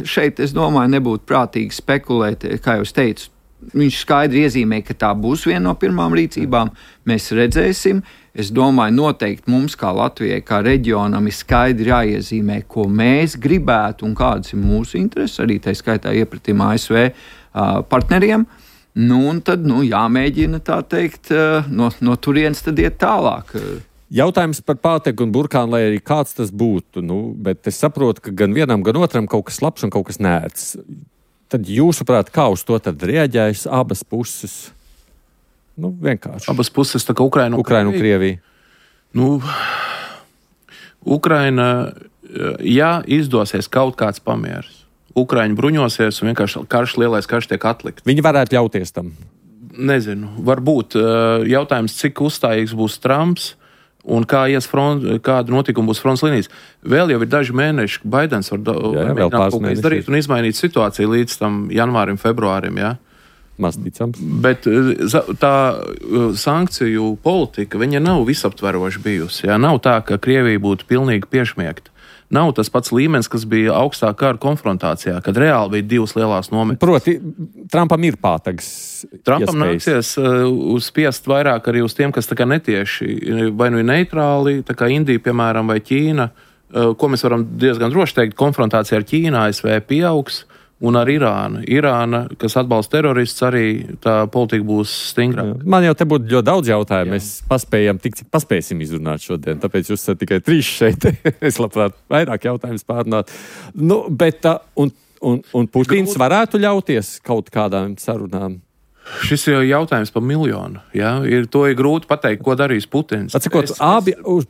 šeit, es domāju, nebūtu prātīgi spekulēt, kā jau es teicu, viņš skaidri iezīmē, ka tā būs viena no pirmām rīcībām, mēs redzēsim. Es domāju, noteikti mums, kā Latvijai, kā reģionam, ir skaidri jāiezīmē, ko mēs gribētu un kādas ir mūsu intereses, arī tā skaitā iepratim ASV partneriem. Un tad jāmēģina tā teikt, no turienes tad iet tālāk. Jautājums par pātegu un burkānu, lai arī kāds tas būtu, bet es saprotu, ka gan vienam, gan otram kaut kas labs un kaut kas nērts. Tad jūsuprāt, kā uz to tad reaģējas abas puses? Vienkārši. Abas puses, tā kā Ukraina un Krievija. Ukraina, ja izdosies kaut kāds pamieris, Ukraiņi bruņosies un vienkārši lielais karš tiek atlikt. Viņi varētu ļauties tam? Nezinu. Varbūt jautājums, cik uzstājīgs būs Trumps un kāda notikuma būs fronts līnijas. Vēl jau ir daži mēneši, Baidens var mēģināt kaut ko izdarīt un izmainīt situāciju līdz tam janvārim, februārim, Masticams. Bet tā sankciju politika, viņa nav visaptveroša bijusi. Nav tā, ka Krievija būtu pilnīgi piešmiegta. Nav tas pats līmenis, kas bija augstā kara konfrontācijā, kad reāli bija divas lielās nometnes. Proti, Trumpam ir pātags. Trumpam nāksies uzspiest vairāk arī uz tiem, kas tā kā netieši, vai ir neitrāli, tā kā Indija, piemēram, vai Ķīna, ko mēs varam diezgan droši teikt, konfrontācija ar Ķīnu, ASV pieaugs. Un ar Irānu. Irāna, kas atbalsta terorists, arī tā politika būs stingrāka. Man jau te būtu ļoti daudz jautājumu. Mēs paspējam tik, cik paspēsim izrunāt šodien. Tāpēc jūs esat tikai 3 šeit. Es labprāt vairāk jautājumus pārunāt. Bet un Putins varētu ļauties kaut kādām sarunām? Šis ir jautājums par miljonu. To ir grūti pateikt, ko darīs Putins. Atsakot,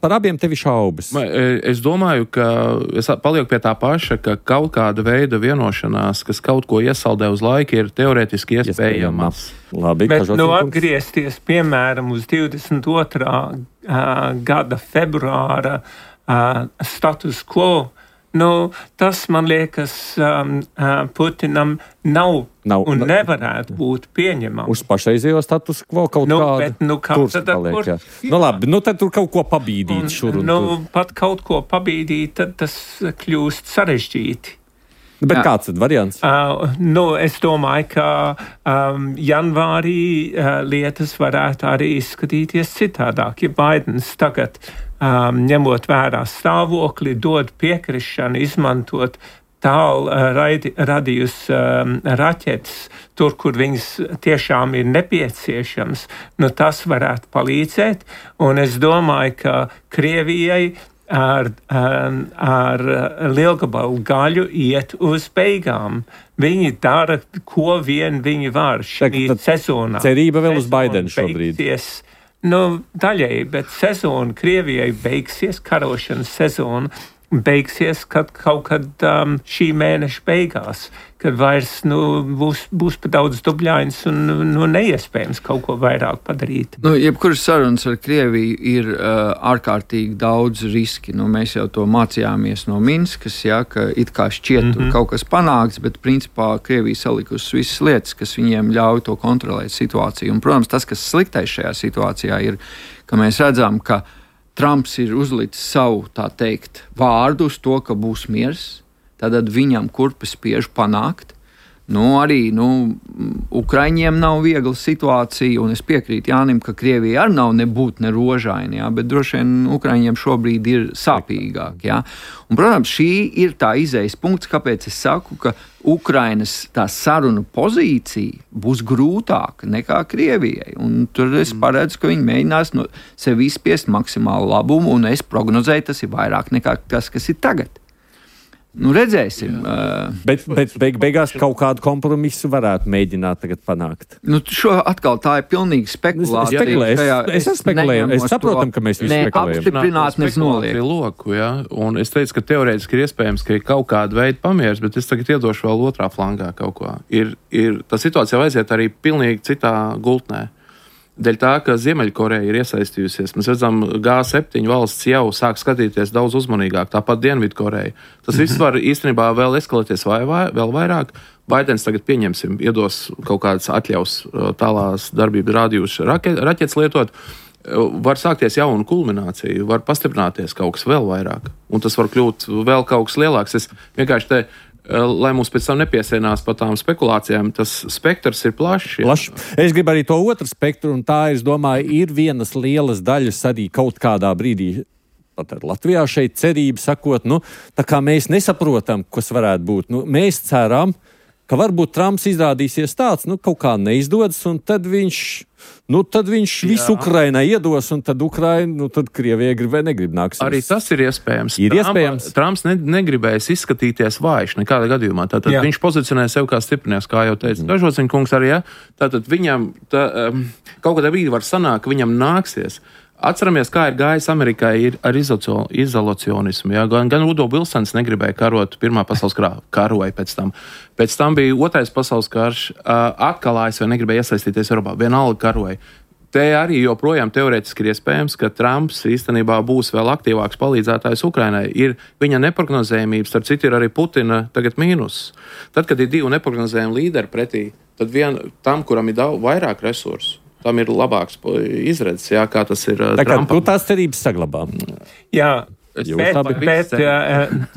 par abiem tevi šaubas. Es domāju, ka es palieku pie tā paša, ka kaut kāda veida vienošanās, kas kaut ko iesaldē uz laiku, ir teorētiski iespējams. Labi, bet atgriezties, piemēram, uz 22. Gada februāra status quo, tas, man liekas, Putinam nav un nevarētu būt pieņemams. Uz pašreizējo status quo kaut kādu tad paliek, labi, tad tur kaut ko pabīdīt šur un tur. Pat kaut ko pabīdīt, tad tas kļūst sarežģīti. Bet kāds tad variants? Es domāju, ka janvārī lietas varētu arī izskatīties citādāk. Ja Baidens tagad, ņemot vērā stāvokli, dod piekrišanu izmantot tālu radījus raķetes, tur, kur viņas tiešām ir nepieciešams, tas varētu palīdzēt. Un es domāju, ka Krievijai ar lielgabalu gaļu iet uz beigām. Viņi dara, ko vien viņi var šī sezonā. Cerība vēl uz Baidenu šobrīd. Daļēji, bet sezona Krievijai beigsies, karošanas sezona beigsies kaut kad šī mēneša beigās, kad vairs būs pa daudz dubļains un neiespējams kaut ko vairāk padarīt. Jebkuras sarunas ar Krieviju ir ārkārtīgi daudz riski. Mēs jau to mācījāmies no Minskas, ka it kā šķiet kaut kas panākts, bet principā Krievija salikusi visas lietas, kas viņiem ļauj to kontrolēt situāciju. Un, protams, tas, kas sliktais šajā situācijā ir, ka mēs redzam, ka Trumps ir uzlicis savu, tā teikt, vārdu uz to, ka būs miers, tad viņam kurpes spiež panākt. Arī Ukraiņiem nav viegla situācija, un es piekrītu Jānim, ka Krievija arī nav nebūt ne rožaini, bet droši vien Ukraiņiem šobrīd ir sāpīgāk. Un, protams, šī ir tā izejas punkts, kāpēc es saku, ka Ukrainas tā sarunu pozīcija būs grūtāka nekā Krievijai. Un tur es paredzu, ka viņi mēģinās no sevi izspiest maksimālu labumu, un es prognozēju, tas ir vairāk nekā tas, kas ir tagad. Redzēsim. Bet beigās kaut kādu kompromisu varētu mēģināt tagad panākt. Šo atkal tā ir pilnīgi spekulācija. Es spekulēju. Es saprotam, ka mēs visi spekulējam. Apstiprināt noliek. Loku, un es teicu, ka teorētiski ir iespējams, ka ir kaut kāda veida pamieris, bet es tagad iedošu vēl otrā flangā kaut ko. Tā situācija aiziet arī pilnīgi citā gultnē. Dēļ tā, ka Ziemeļkoreja ir iesaistījusies. Mēs redzam, G7 valsts jau sāk skatīties daudz uzmanīgāk, tāpat Dienvidkoreja. Tas viss var īstenībā vēl eskalēties vēl vairāk. Baidens tagad iedos kaut kādas atļaus tālās darbības rādījus raķetes lietot. Var sākties jauna kulminācija, var pastiprināties kaut kas vēl vairāk. Un tas var kļūt vēl kaut kas lielāks. Es vienkārši lai mums pēc tam nepiesienās par tām spekulācijām, tas spektrs ir plašs. Es gribu arī to otru spektru, un tā, es domāju, ir vienas lielas daļas arī kaut kādā brīdī, pat ar Latvijā šeit cerību sakot, tā kā mēs nesaprotam, kas varētu būt. Mēs ceram, ka varbūt Trumps izrādīsies tāds, kaut kā neizdodas, un tad viņš visu Ukrainai iedos, un tad tad Krievija grib vai negrib nāksies. Arī tas ir iespējams. Trumps negribēs izskatīties vājš nekādā gadījumā. Tātad viņš pozicionē sev kā stiprinieks, kā jau teica Ražociņa kungs arī, Tātad viņam kaut kādā brīdī var sanākt, ka viņam nāksies. Atceramies, kā ir gājis Amerikai ar izolacionismu. Gan Udo Vilsons negribēja karot Pirmā pasaules karoja pēc tam. Pēc tam bija Otrais pasaules karš, atkal ASV negribēja iesaistīties Eiropā, vienalga karoja. Te arī joprojām teorētiski ir iespējams, ka Trumps īstenībā būs vēl aktīvāks palīdzētājs Ukrainai. Ir viņa neprognozējumības, starp citu ir arī Putina tagad mīnus. Tad, kad ir divi neprognozējumi līderi pretī, tad tam, kuram ir vairāk resursu, tam ir labāks izredzes, kā tas ir Trumpam. Tu tās cerības saglabā. Jā, bet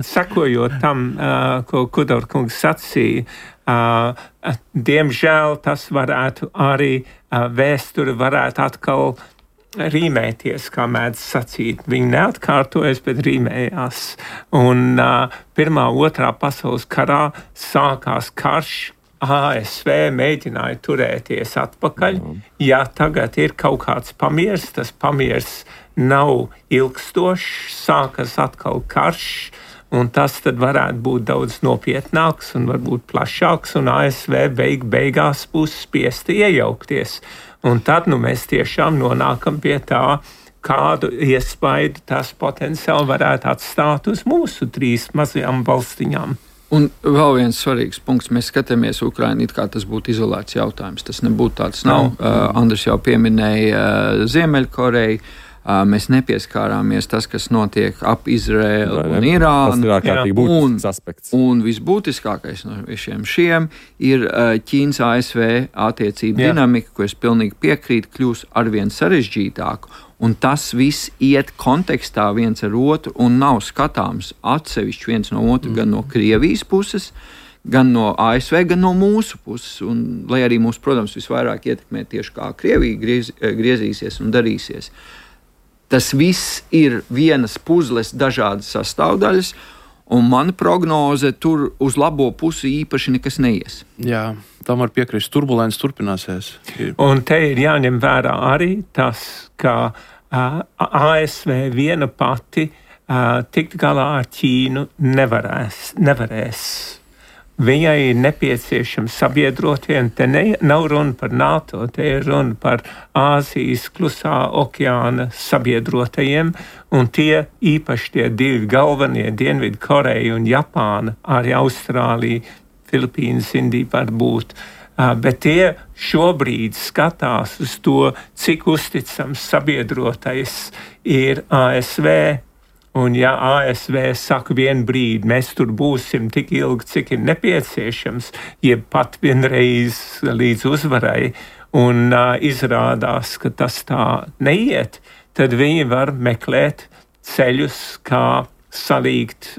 sakojot tam, ko Kudor kungs sacīja, diemžēl tas varētu arī vēsture varētu atkal rīmēties, kā mēdz sacīt. Viņi neatkārtojas, bet rīmējās. Un Pirmā, Otrā pasaules karā sākās karš. ASV mēģināja turēties atpakaļ. Ja tagad ir kaut kāds pamiers, tas pamiers nav ilgstošs, sākas atkal karš, un tas tad varētu būt daudz nopietnāks un varbūt plašāks, un ASV beigās būs spiesti iejaukties. Un tad mēs tiešām nonākam pie tā, kādu iespaidu tas potenciāli varētu atstāt uz mūsu 3 mazajām valstiņām. Un vēl viens svarīgs punkts. Mēs skatāmies Ukrainu, it kā tas būtu izolēts jautājums. Tas nebūtu tāds nav. Andris jau pieminēja Ziemeļkoreju. Mēs nepieskārāmies tas, kas notiek ap Izraēlu un Irānu. Tas ir ārkārtīgi būtisks aspekts. Un visbūtiskākais no visiem šiem ir Ķīnas ASV attiecību dinamika, ko es pilnīgi piekrītu, kļūs arvien sarežģītāku. Un tas viss iet kontekstā viens ar otru un nav skatāms atsevišķi viens no otru, gan no Krievijas puses, gan no ASV, gan no mūsu puses. Un, lai arī mūs, protams, visvairāk ietekmē tieši kā Krievija griezīsies un darīsies. Tas viss ir vienas puzles dažādas sastāvdaļas, un mana prognoze tur uz labo pusi īpaši nekas neies. Jā, tam var piekrist. Turbulence turpināsies. Un te ir jāņem vērā arī tas, ka ASV viena pati tikt galā ar Ķīnu nevarēs. Viņai ir nepieciešami sabiedrotie, un te nav runa par NATO, te ir runa par Āzijas klusā okeāna sabiedrotajiem, un tie īpaši tie divi galvenie, Dienvidu Koreja un Japāna, arī Austrālija, Filipīnas, Indija var būt. Bet tie šobrīd skatās uz to, cik uzticams sabiedrotais ir ASV. Un ja ASV saka vienu brīdi, mēs tur būsim tik ilgi, cik ir nepieciešams, jeb pat vienreiz līdz uzvarai, un izrādās, ka tas tā neiet, tad viņi var meklēt ceļus, kā salīgt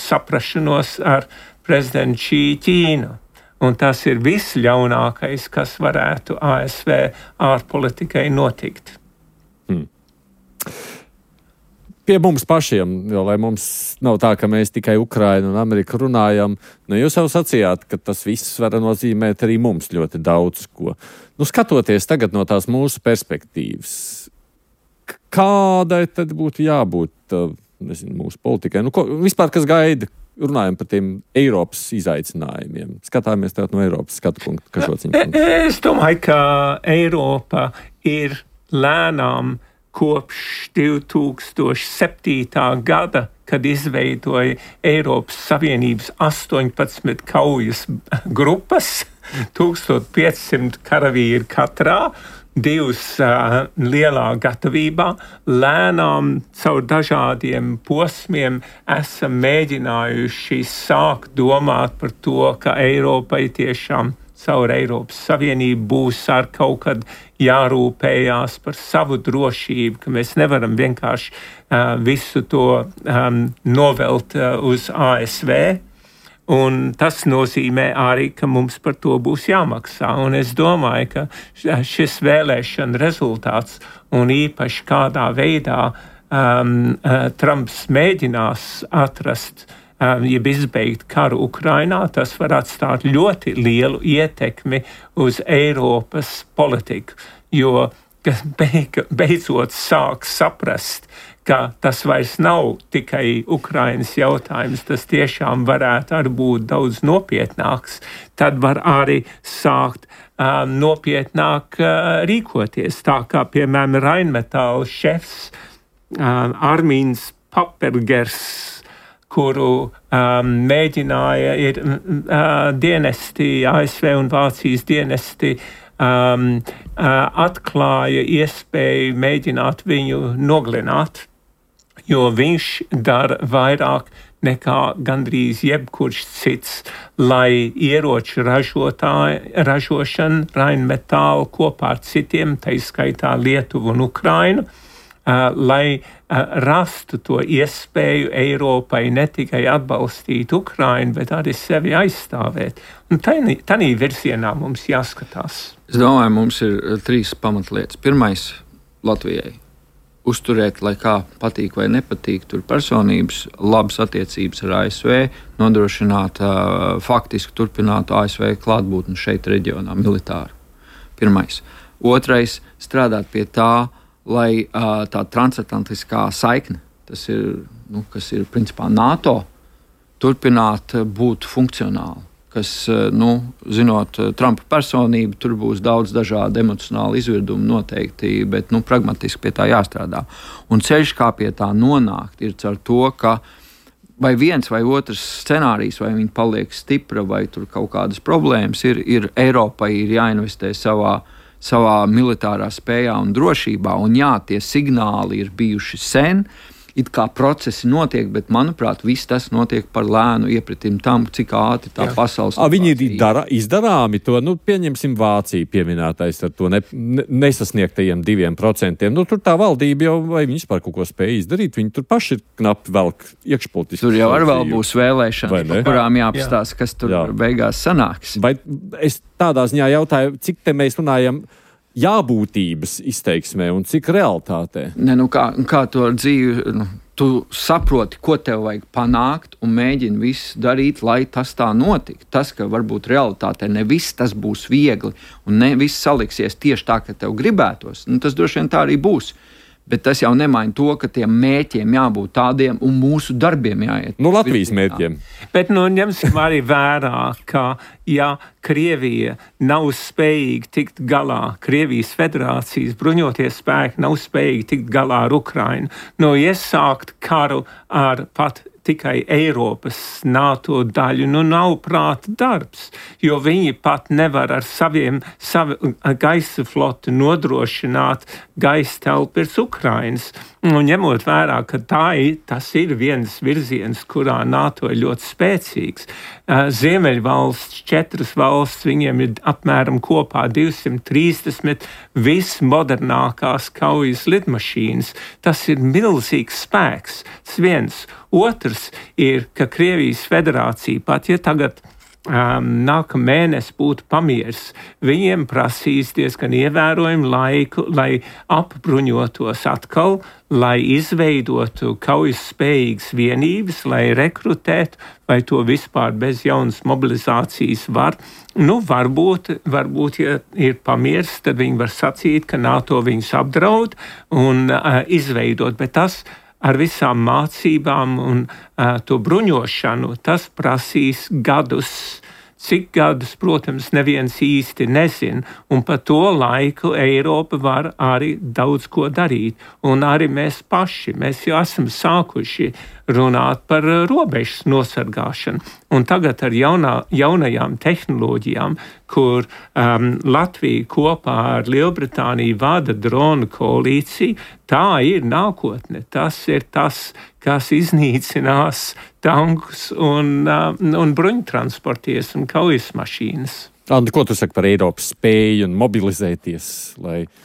saprašanos ar prezidentu Xi Ķīnu. Un tas ir viss ļaunākais, kas varētu ASV ārpolitikai notikt. Pie mums pašiem, jo lai mums nav tā, ka mēs tikai Ukrainu un Ameriku runājam, jūs jau sacījāt, ka tas viss var nozīmēt arī mums ļoti daudz ko. Skatoties tagad no tās mūsu perspektīvas, kādai tad būtu jābūt mūsu politikai? Vispār, kas gaida, runājam par tiem Eiropas izaicinājumiem. Skatāmies tagad no Eiropas skatu punktu. Es domāju, ka Eiropa ir lēnām kopš 2007. gada, kad izveidoja Eiropas Savienības 18 kaujas grupas, 1500 karavīri katrā, 2 lielā gatavībā, lēnām caur dažādiem posmiem esam mēģinājuši sākt domāt par to, ka Eiropai tiešām caur Eiropas Savienību būs ar kaut kad jārūpējās par savu drošību, ka mēs nevaram vienkārši visu to novelt uz ASV. Un tas nozīmē arī, ka mums par to būs jāmaksā. Un es domāju, ka šis vēlēšana rezultāts un īpaši kādā veidā Trumps mēģinās atrast jeb izbeigt karu Ukrainā, tas var atstāt ļoti lielu ietekmi uz Eiropas politiku, jo beidzot sāk saprast, ka tas vairs nav tikai Ukrainas jautājums, tas tiešām varētu arī būt daudz nopietnāks, tad var arī sākt nopietnāk rīkoties. Tā kā, piemēram, Rheinmetall šefs Armīns Papergers, kuru mēģināja ir dienesti, ASV un Vācijas dienesti, atklāja iespēju mēģināt viņu noglināt, jo viņš dara vairāk nekā gandrīz jebkurš cits, lai ieroču ražošanu Rheinmetall kopā ar citiem, tā izskaitā Lietuvu un Ukrainu, lai rastu to iespēju Eiropai ne tikai atbalstīt Ukrainu, bet arī sevi aizstāvēt. Un tādā virzienā mums jāskatās. Es domāju, mums ir 3 pamatlietas. Pirmais, Latvijai uzturēt, lai kā patīk vai nepatīk, tur personības, labas attiecības ar ASV, nodrošināt faktiski turpināt ASV klātbūtni šeit reģionā militāru. Pirmais. Otrais, strādāt pie tā, lai tā transatlantiskā saikne, tas ir, kas ir principā NATO, turpināt būt funkcionāli. Kas, zinot Trumpa personību, tur būs daudz dažādu emocionālu izvirdumu noteikti, bet pragmatiski pie tā jāstrādā. Un ceļš, kā pie tā nonākt, ir caur to, ka vai viens vai otrs scenārijs, vai viņi paliek stipra, vai tur kaut kādas problēmas ir Eiropai ir jāinvestē savā savā militārā spējā un drošībā. Un jā, tie signāli ir bijuši sen. It kā procesi notiek, bet, manuprāt, viss tas notiek par lēnu iepratim tam, cik ātri tā pasaules. Viņi ir izdarāmi to, pieņemsim Vāciju pieminētais ar to nesasniegtajiem 2%. Tur tā valdība jau, vai viņi vispār kaut ko spēja izdarīt, viņi tur paši ir knapi velk iekšpolitiski. Tur jau vēl būs vēlēšanas, par kurām jāapstāsta, kas tur beigās sanāks. Vai es tādā ziņā jautāju, cik te mēs runājam jābūtības izteiksmē un cik realitātē? Kā to dzīvi, tu saproti, ko tev vajag panākt un mēģini visu darīt, lai tas tā notiktu. Tas, ka varbūt realitātē ne viss tas būs viegli un ne viss saliksies tieši tā, ka tev gribētos, tas droši vien tā arī būs. Bet tas jau nemaina to, ka tiem mērķiem jābūt tādiem un mūsu darbiem jāiet. Latvijas mērķiem. Bet ņemsim arī vērā, ka ja Krievija nav spējīga tikt galā, Krievijas federācijas bruņoties spēki nav spējīgi tikt galā ar Ukrainu, iesākt karu ar pat tikai Eiropas NATO daļu, nav prāta darbs, jo viņi pat nevar ar savu gaisa floti nodrošināt gaisa telpu virs Ukrainas. Un ņemot vērā, ka tas ir viens virziens, kurā NATO ir ļoti spēcīgs. Ziemeļvalsts, 4 valsts, viņiem ir apmēram kopā 230 vismodernākās kaujas lidmašīnas. Tas ir milzīgs spēks. Tas viens. Otrs ir, ka Krievijas federācija, pat ja tagad nākamā mēnesis būtu pamieris, viņiem prasīs diezgan ievērojumu laiku, lai apbruņotos atkal, lai izveidotu kaujas spējīgas vienības, lai rekrutētu, vai to vispār bez jaunas mobilizācijas var. Varbūt, ja ir pamieris, tad viņi var sacīt, ka NATO viņus apdraud un izveidot, bet tas ar visām mācībām un to bruņošanu, tas prasīs gadus. Cik gadus, protams, neviens īsti nezina, un pa to laiku Eiropa var arī daudz ko darīt. Un arī mēs paši, mēs jau esam sākuši runāt par robežas nosargāšanu. Un tagad ar jaunajām tehnoloģijām, kur Latvija kopā ar Lielbritāniju vada dronu koalīciju, tā ir nākotne. Tas ir tas, kas iznīcinās tankus un bruņtransporties un kaujas mašīnas. Andi, ko tu saki par Eiropas spēju un mobilizēties?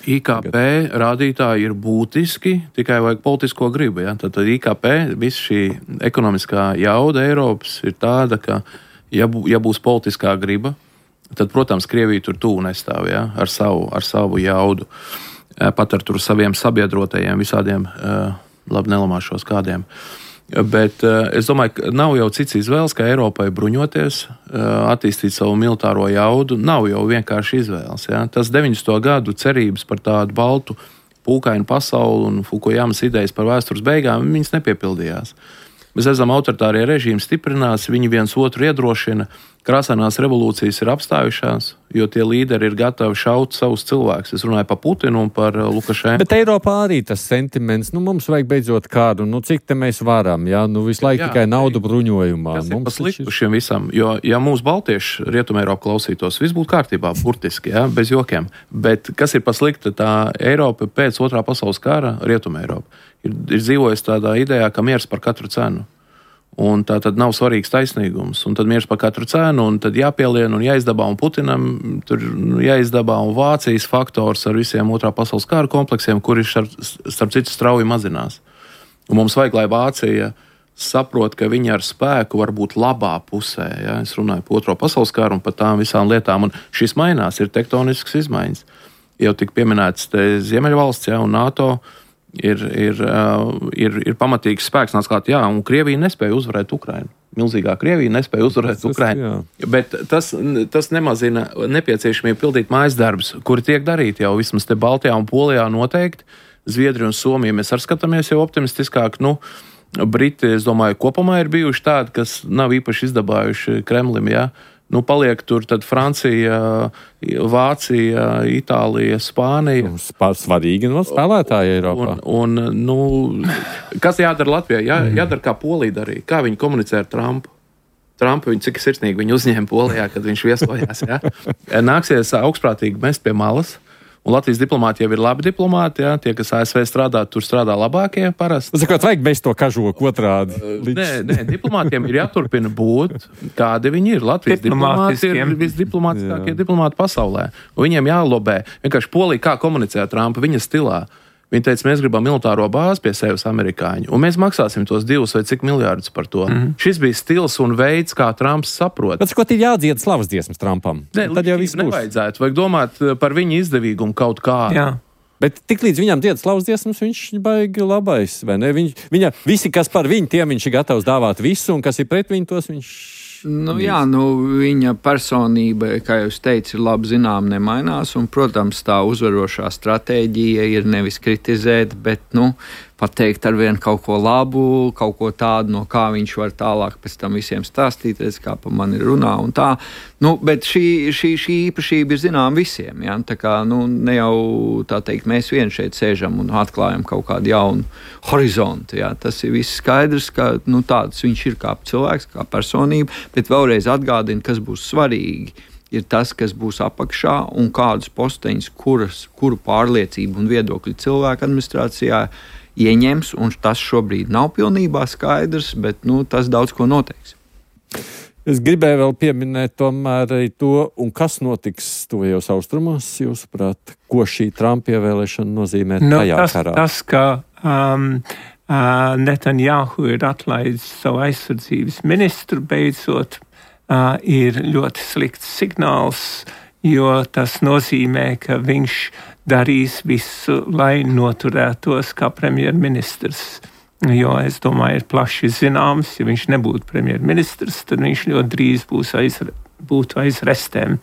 IKP rādītāji ir būtiski, tikai vajag politisko gribu. Ja? Tad IKP, viss šī ekonomiskā jauda Eiropas ir tāda, ka ja būs politiskā griba, tad, protams, Krievija tur tuvu nestāv, ja? ar savu jaudu. Pat ar tur saviem sabiedrotajiem visādiem, labi nelamāšos kādiem. Bet es domāju, ka nav jau cits izvēles, kā Eiropai bruņoties, attīstīt savu militāro jaudu. Nav jau vienkārši izvēles. Ja? Tas 90. gadu cerības par tādu baltu pūkainu pasauli un Fukujamas idejas par vēstures beigām, viņas nepiepildījās. Mēs redzam, autoritārie režīmi stiprinās, viņi viens otru iedrošina, krāsainās revolūcijas ir apstājušās, jo tie līderi ir gatavi šaut savus cilvēkus. Es runāju par Putinu un par Lukašenku. Bet Eiropā arī tas sentiments, mums vajag beidzot kādu, cik te mēs varam, visu laiku tikai naudu bruņojumā. Tas ir pasliktu šiem visam, jo, ja mūsu baltieši Rietumē Eiropa klausītos, viss būtu kārtībā, burtiski, bez jokiem. Bet kas ir paslikta, tā Eiropa pēc Otrā pasaules kara, Rietumē Eiropa, ir dzīvojusi tādā idejā, ka miers par katru cenu. Un tā tad nav svarīgs taisnīgums, un tad miers par katru cenu, un tad jāpielien un jāizdabā, un Putinam tur jāizdabā, un Vācijas faktors ar visiem Otrā pasaules kara kompleksiem, kuri starp citu strauji mazinās. Un mums vajag, lai Vācija saprot, ka viņi ar spēku var būt labā pusē. Ja? Es runāju par Otro pasaules karu un par tām visām lietām, un šis mainās, ir tektonisks izmaiņas. Jau tik pieminēts Ziemeļvalsts, un NATO. Ir pamatīgs spēks, un Krievija nespēja uzvarēt Ukrainu. Milzīgā Krievija nespēja uzvarēt Ukrainu. Bet tas nemazina nepieciešamību pildīt mājas darbus, kuri tiek darīti jau vismaz te Baltijā un Polijā noteikti. Zviedrija un Somija mēs arī skatāmies jau optimistiskāk. Briti, es domāju, kopumā ir bijuši tādi, kas nav īpaši izdabājuši Kremlim, ja? Paliek tur tad Francija, Vācija, Itālija, Spānija. Svarīgi spēlētāji Eiropā. Kas jādara Latvijai? Jādara, kā Polija darīja. Kā viņi komunicē ar Trumpu? Trumpu cik sirsnīgi viņi uzņēma Polijā, kad viņš viesojās. Ja? Nāksies augstprātīgi mest pie malas Un Latvijas diplomāti jau ir labi diplomāti, jā, tie, kas ASV strādā, tur strādā labākie parasti. Sakot, vajag mēs to kažoku otrādi. Nē, diplomātiem ir jāturpina būt, kādi viņi ir. Latvijas diplomāti ir visdiplomātiskākie diplomāti pasaulē. Un viņiem jālobē. Vienkārši Polija kā komunicē Trumpa viņa stilā. Viņi teica, mēs gribam militāro bāzi pie sevis amerikāņu, un mēs maksāsim tos 2 vai cik miljārdus par to. Šis bija stils un veids, kā Trumps saprot. Bet ko ir jādzied slavas dziesmas Trumpam? Tad jau viss nevajadzētu. Vajag domāt par viņa izdevīgumu kaut kā. Jā. Bet tik līdz viņam dzied slavas dziesmas, viņš baigi labais, vai ne? Viņa, visi, kas par viņu, tiem viņš ir gatavs dāvāt visu, un kas ir pret viņu, tos viņš... Viņa personība, kā jūs teicat, ir labi zinām, nemainās. Un, protams, tā uzvarošā stratēģija ir nevis kritizēt, bet pateikt ar vienu kaut ko labu, kaut ko tādu, no kā viņš var tālāk pēc tam visiem stāstīt, redz, kā pa mani runā un tā. Bet šī īpašība ir zinām visiem. Ja? Tā kā ne jau tā teikt, mēs vien šeit sēžam un atklājam kaut kādu jaunu horizontu. Ja? Tas ir viss skaidrs, ka tāds viņš ir kā cilvēks, kā personība, bet vēlreiz atgādina, kas būs svarīgi. Ir tas, kas būs apakšā un kādus posteņus, kuru pārliecību un viedokļu cilvēku administrācijā ieņems, un tas šobrīd nav pilnībā skaidrs, bet tas daudz ko noteiks. Es gribēju vēl pieminēt tomēr arī to, un kas notiks tuvajos austrumos, jūsuprāt, ko šī Trumpa ievēlēšana nozīmē tajā karā? Tas, ka Netanjahu ir atlaidis savu aizsardzības ministru beidzot, ir ļoti slikts signāls, jo tas nozīmē, ka viņš darīs visu, lai noturētos kā premjerministrs. Jo, es domāju, ir plaši zināms, ja viņš nebūtu premjerministrs, tad viņš ļoti drīz būtu aiz restēm.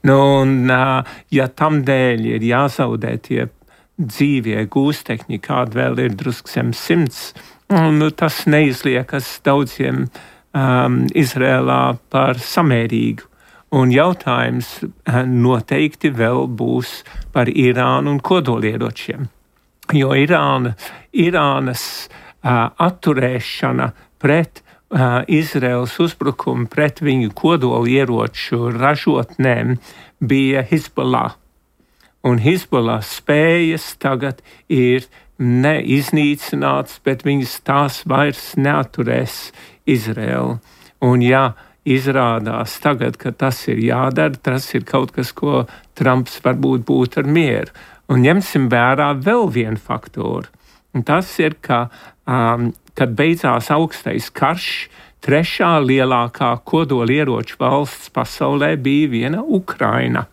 Ja tam dēļ ir jāzaudē tie dzīvie gūstekņi, kādi vēl ir drusku zem 100, tas neizliekas daudziem Izrēlā par samērīgu. Un jautājums noteikti vēl būs par Irānu un kodolieročiem. Jo Irānas atturēšana pret Izraels uzbrukumu pret viņu kodolieroču ražotnēm bija Hezbollah. Un Hezbollah spējas tagad ir neiznīcināts, bet viņas tās vairs neatturēs Izraelu. Un izrādās tagad, ka tas ir jādara, tas ir kaut kas, ko Trumps varbūt būtu ar mieru. Un ņemsim vērā vēl vienu faktoru. Un tas ir, ka, kad beidzās augstais karš, 3. lielākā kodolieroču valsts pasaulē bija viena Ukraina.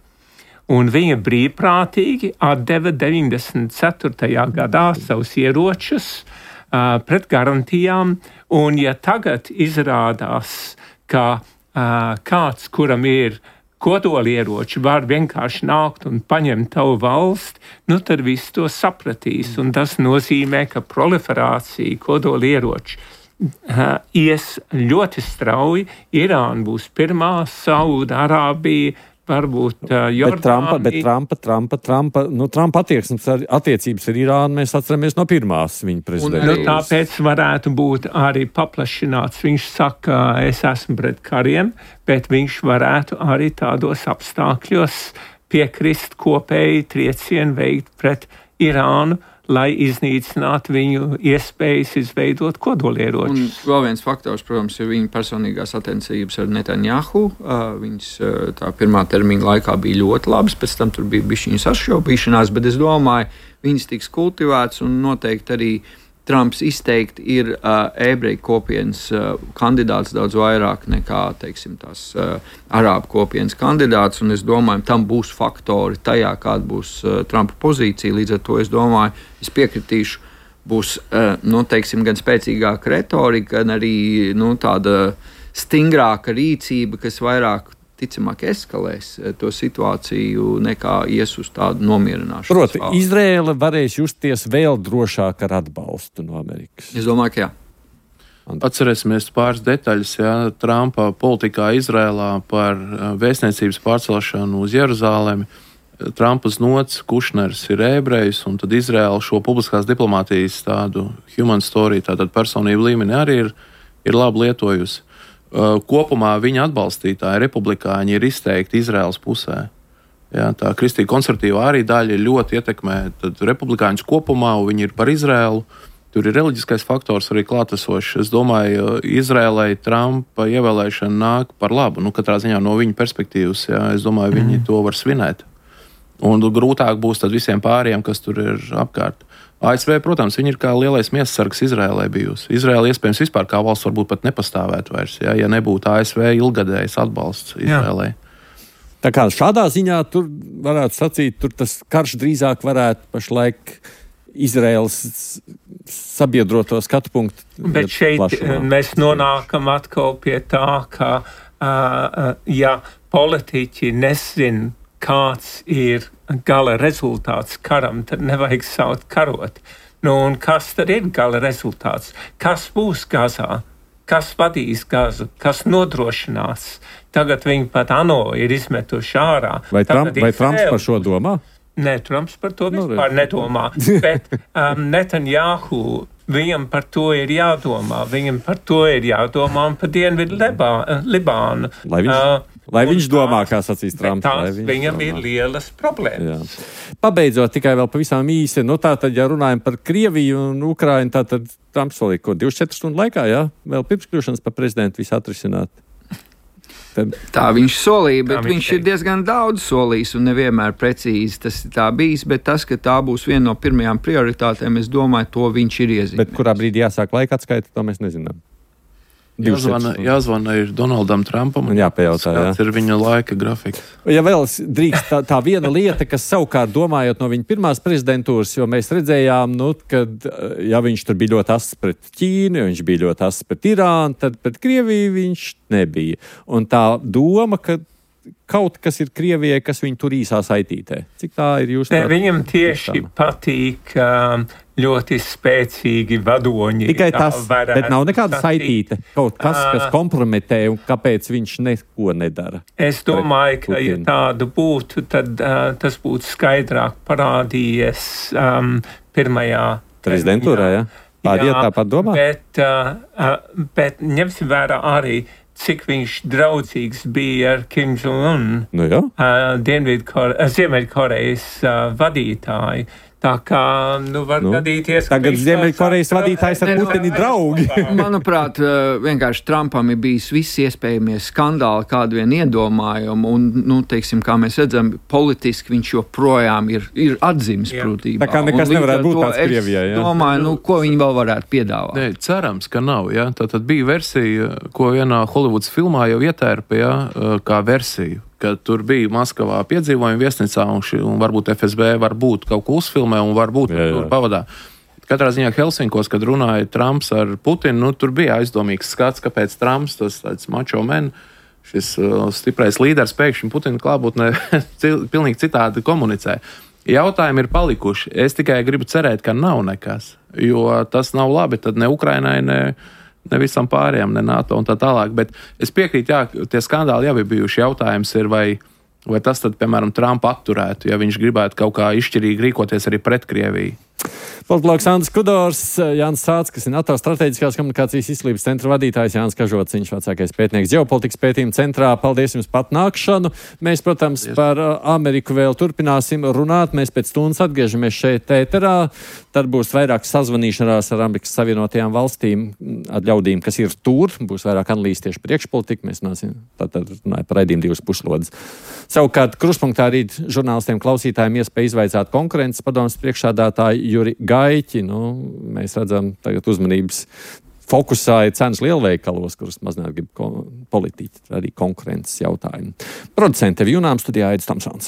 Un viņa brīvprātīgi atdeva 94. gadā savus ieročus pret garantijām. Un ja tagad izrādās, ka kāds, kuram ir kodolieroči, var vienkārši nākt un paņemt tavu valsti, tad viss to sapratīs. Un tas nozīmē, ka proliferācija kodolieroči ies ļoti strauji. Irāna būs pirmā, Saūda-Arābija, varbūt Jordānija. Bet Trumpa attiecības ar Irānu mēs atceramies no pirmās viņa prezidentūras. Tāpēc varētu būt arī paplašināts. Viņš saka, es esmu pret kariem, bet viņš varētu arī tādos apstākļos piekrist kopēji triecienu veikt pret Irānu, lai iznīcinātu viņu iespējas izveidot kodolieročus. Un vēl viens faktors, protams, ir viņa personīgās attiecības ar Netanjahu. Viņas tā pirmā termiņa laikā bija ļoti labas, pēc tam tur bija bišķiņas sašķaubīšanās, bet es domāju, viņas tiks kultivētas un noteikti arī Trumps izteikti ir ebreju kopienas kandidāts daudz vairāk nekā, teiksim, tās arābu kopienas kandidāts, un es domāju, tam būs faktori tajā, kāda būs Trumpa pozīcija. Līdz ar to es domāju, es piekritīšu, būs, teiksim, gan spēcīgāka retorika, gan arī, tāda stingrāka rīcība, kas vairāk ticamāk eskalēs to situāciju nekā ies uz tādu nomierināšanu. Proti, Izraela varēs justies vēl drošāk ar atbalstu no Amerikas. Es domāju, ka jā. Atcerēsimies pāris detaļas, Trumpa politikā Izrēlā par vēstniecības pārcelšanu uz Jeruzālemi. Trumpa znots, Kušners ir ebrejs, un tad Izrēla šo publiskās diplomātijas tādu human story, tātad personību līmeni arī ir labi lietojusi. Kopumā viņa atbalstītāji, republikāņi, ir izteikti Izraēlas pusē. Jā, tā kristīgi konservatīvā arī daļa ļoti ietekmē republikāņus kopumā, un viņi ir par Izrēlu. Tur ir reliģiskais faktors arī klātesošs. Es domāju, Izrēlai Trumpa ievēlēšana nāk par labu. Katrā ziņā no viņa perspektīvas, jā, es domāju, viņi to var svinēt. Un grūtāk būs tad visiem pāriem, kas tur ir apkārt. ASV, protams, viņi ir kā lielais miesasargs Izrēlai bijusi. Izrēla iespējams vispār kā valsts varbūt pat nepastāvētu vairs, ja nebūtu ASV ilgadējs atbalsts Izrēlai. Tā kā šādā ziņā tur varētu sacīt, tur tas karš drīzāk varētu pašlaik Izraēlas sabiedroto skatu punktu. Bet šeit plašumā. Mēs nonākam atkal pie tā, ka ja politiķi nezin, kāds ir gala rezultāts karam, tad nevajag saukt karot. Un kas tad ir gala rezultāts? Kas būs Gazā? Kas vadīs Gazu, kas nodrošinās. Tagad viņi pat ANO ir izmetuši ārā. Vai Trumps par šo domā? Nē, Trumps par to vispār nedomā. Bet Netanjahu, viņam par to ir jādomā. Viņam par to ir jādomā un par Dienvidu Libānu. Lai viņš domā, kā sacīs Trumps. Viņam ir lielas problēmas. Jā. Pabeidzot tikai vēl pavisam īsi, tātad, ja runājam par Krieviju un Ukrainu, tātad Trumps solīja, 24 stundu laikā, jā, vēl pirms kļūšanas par prezidentu visu atrisināt. Tā viņš solīja, bet viņš ir diezgan daudz solījis un nevienmēr precīzi tas ir tā bijis, bet tas, ka tā būs viena no pirmajām prioritātēm, es domāju, to viņš ir iezīmējis. Bet kurā brīdī jāsāk laika atskaita, to mēs nezinām. Jāzvana ir Donaldam Trumpam un jāpajautā, kāds ir viņa laika grafiks. Ja vēl drīkst tā viena lieta, kas savukārt domājot no viņa pirmās prezidentūras, jo mēs redzējām, kad ja viņš tur bija ļoti ass pret Ķīnu, ja viņš bija ļoti ass pret Irānu, tad pret Krieviju viņš nebija. Un tā doma, ka kaut kas ir Krievijai, kas viņu tur īsā saitītē. Cik tā ir jūs? Viņam tieši patīk ļoti spēcīgi vadoņi. Tikai tas, bet nav nekāda saitīte. Kaut kas, kas kompromitē un kāpēc viņš neko nedara. Es domāju, ka ja tādu būtu, tad tas būtu skaidrāk parādījies pirmajā prezidentūrā, jā? Tāpat domā? Bet ņemsim vērā arī, cik viņš draudzīgs bija ar Kim Jong-un, Ziemeļkorejas vadītāju. Tā kā, var gadīties, ka tagad Ziemeļkorejas vadītājs ar Putini draugi. Manuprāt, vienkārši Trumpam ir bijis visi iespējamie skandāli, kādu vien iedomājumu, un, teiksim, kā mēs redzam, politiski viņš joprojām ir atzīmes prūtībā. Tā kā nekas nevarētu būt tāds Krievijai, jā? Es domāju, ko viņi vēl varētu piedāvāt. Nē, cerams, ka nav, jā. Tātad bija versija, ko vienā Holivudas filmā jau ietērpa, jā, kā versiju. Ka tur bija Maskavā piedzīvojuma viesnīcā un varbūt FSB varbūt kaut ko uzfilmē un varbūt tur pavadā. Katrā ziņā Helsinkos, kad runāja Trumps ar Putinu, tur bija aizdomīgs skats, kāpēc Trumps, tas tāds macho men, šis stiprais līderis pēkšņi Putina klātbūtnē pilnīgi citādi komunicē. Jautājumi ir palikuši. Es tikai gribu cerēt, ka nav nekas, jo tas nav labi tad ne Ukrainai, ne visam pārējām, ne NATO un tā tālāk. Bet es piekrītu, jā, tie skandāli jau ir bijuši. Jautājums ir, vai tas tad, piemēram, Trumpa atturētu, ja viņš gribētu kaut kā izšķirīgi rīkoties arī pret Krieviju. Politologs Andris Kudors, Jānis Sāts, kas ir NATO strateģiskās komunikācijas izglītības centra vadītājs, Jānis Kažots, viņš vecākais pētnieks ģeopolitikas pētījuma centrā. Paldies jums pat nākšanu. Mēs, protams, par Ameriku vēl turpināsim runāt. Mēs pēc stundas atgriežamies šeit ēterā. Tad būs vairāk sazvanīšanās ar Amerikas Savienotajām valstīm, ar ļaudīm, kas ir tur. Būs vairāk analīzes tieši priekšpolitika. Mēs runāsim par raidījumu 2 puslodes. Savukārt, Kruspunktā rīt žurnālistiem klausītājiem iespēja izvaicāt konkurences padomes priekšsādātāju Juri Gaiķi. Mēs redzam, tagad uzmanības fokusā ir cenas lielveikalos, kuras mazināt grib politiķi, arī konkurences jautājumi. Producente Vijunām studijā Aidis Tamsons.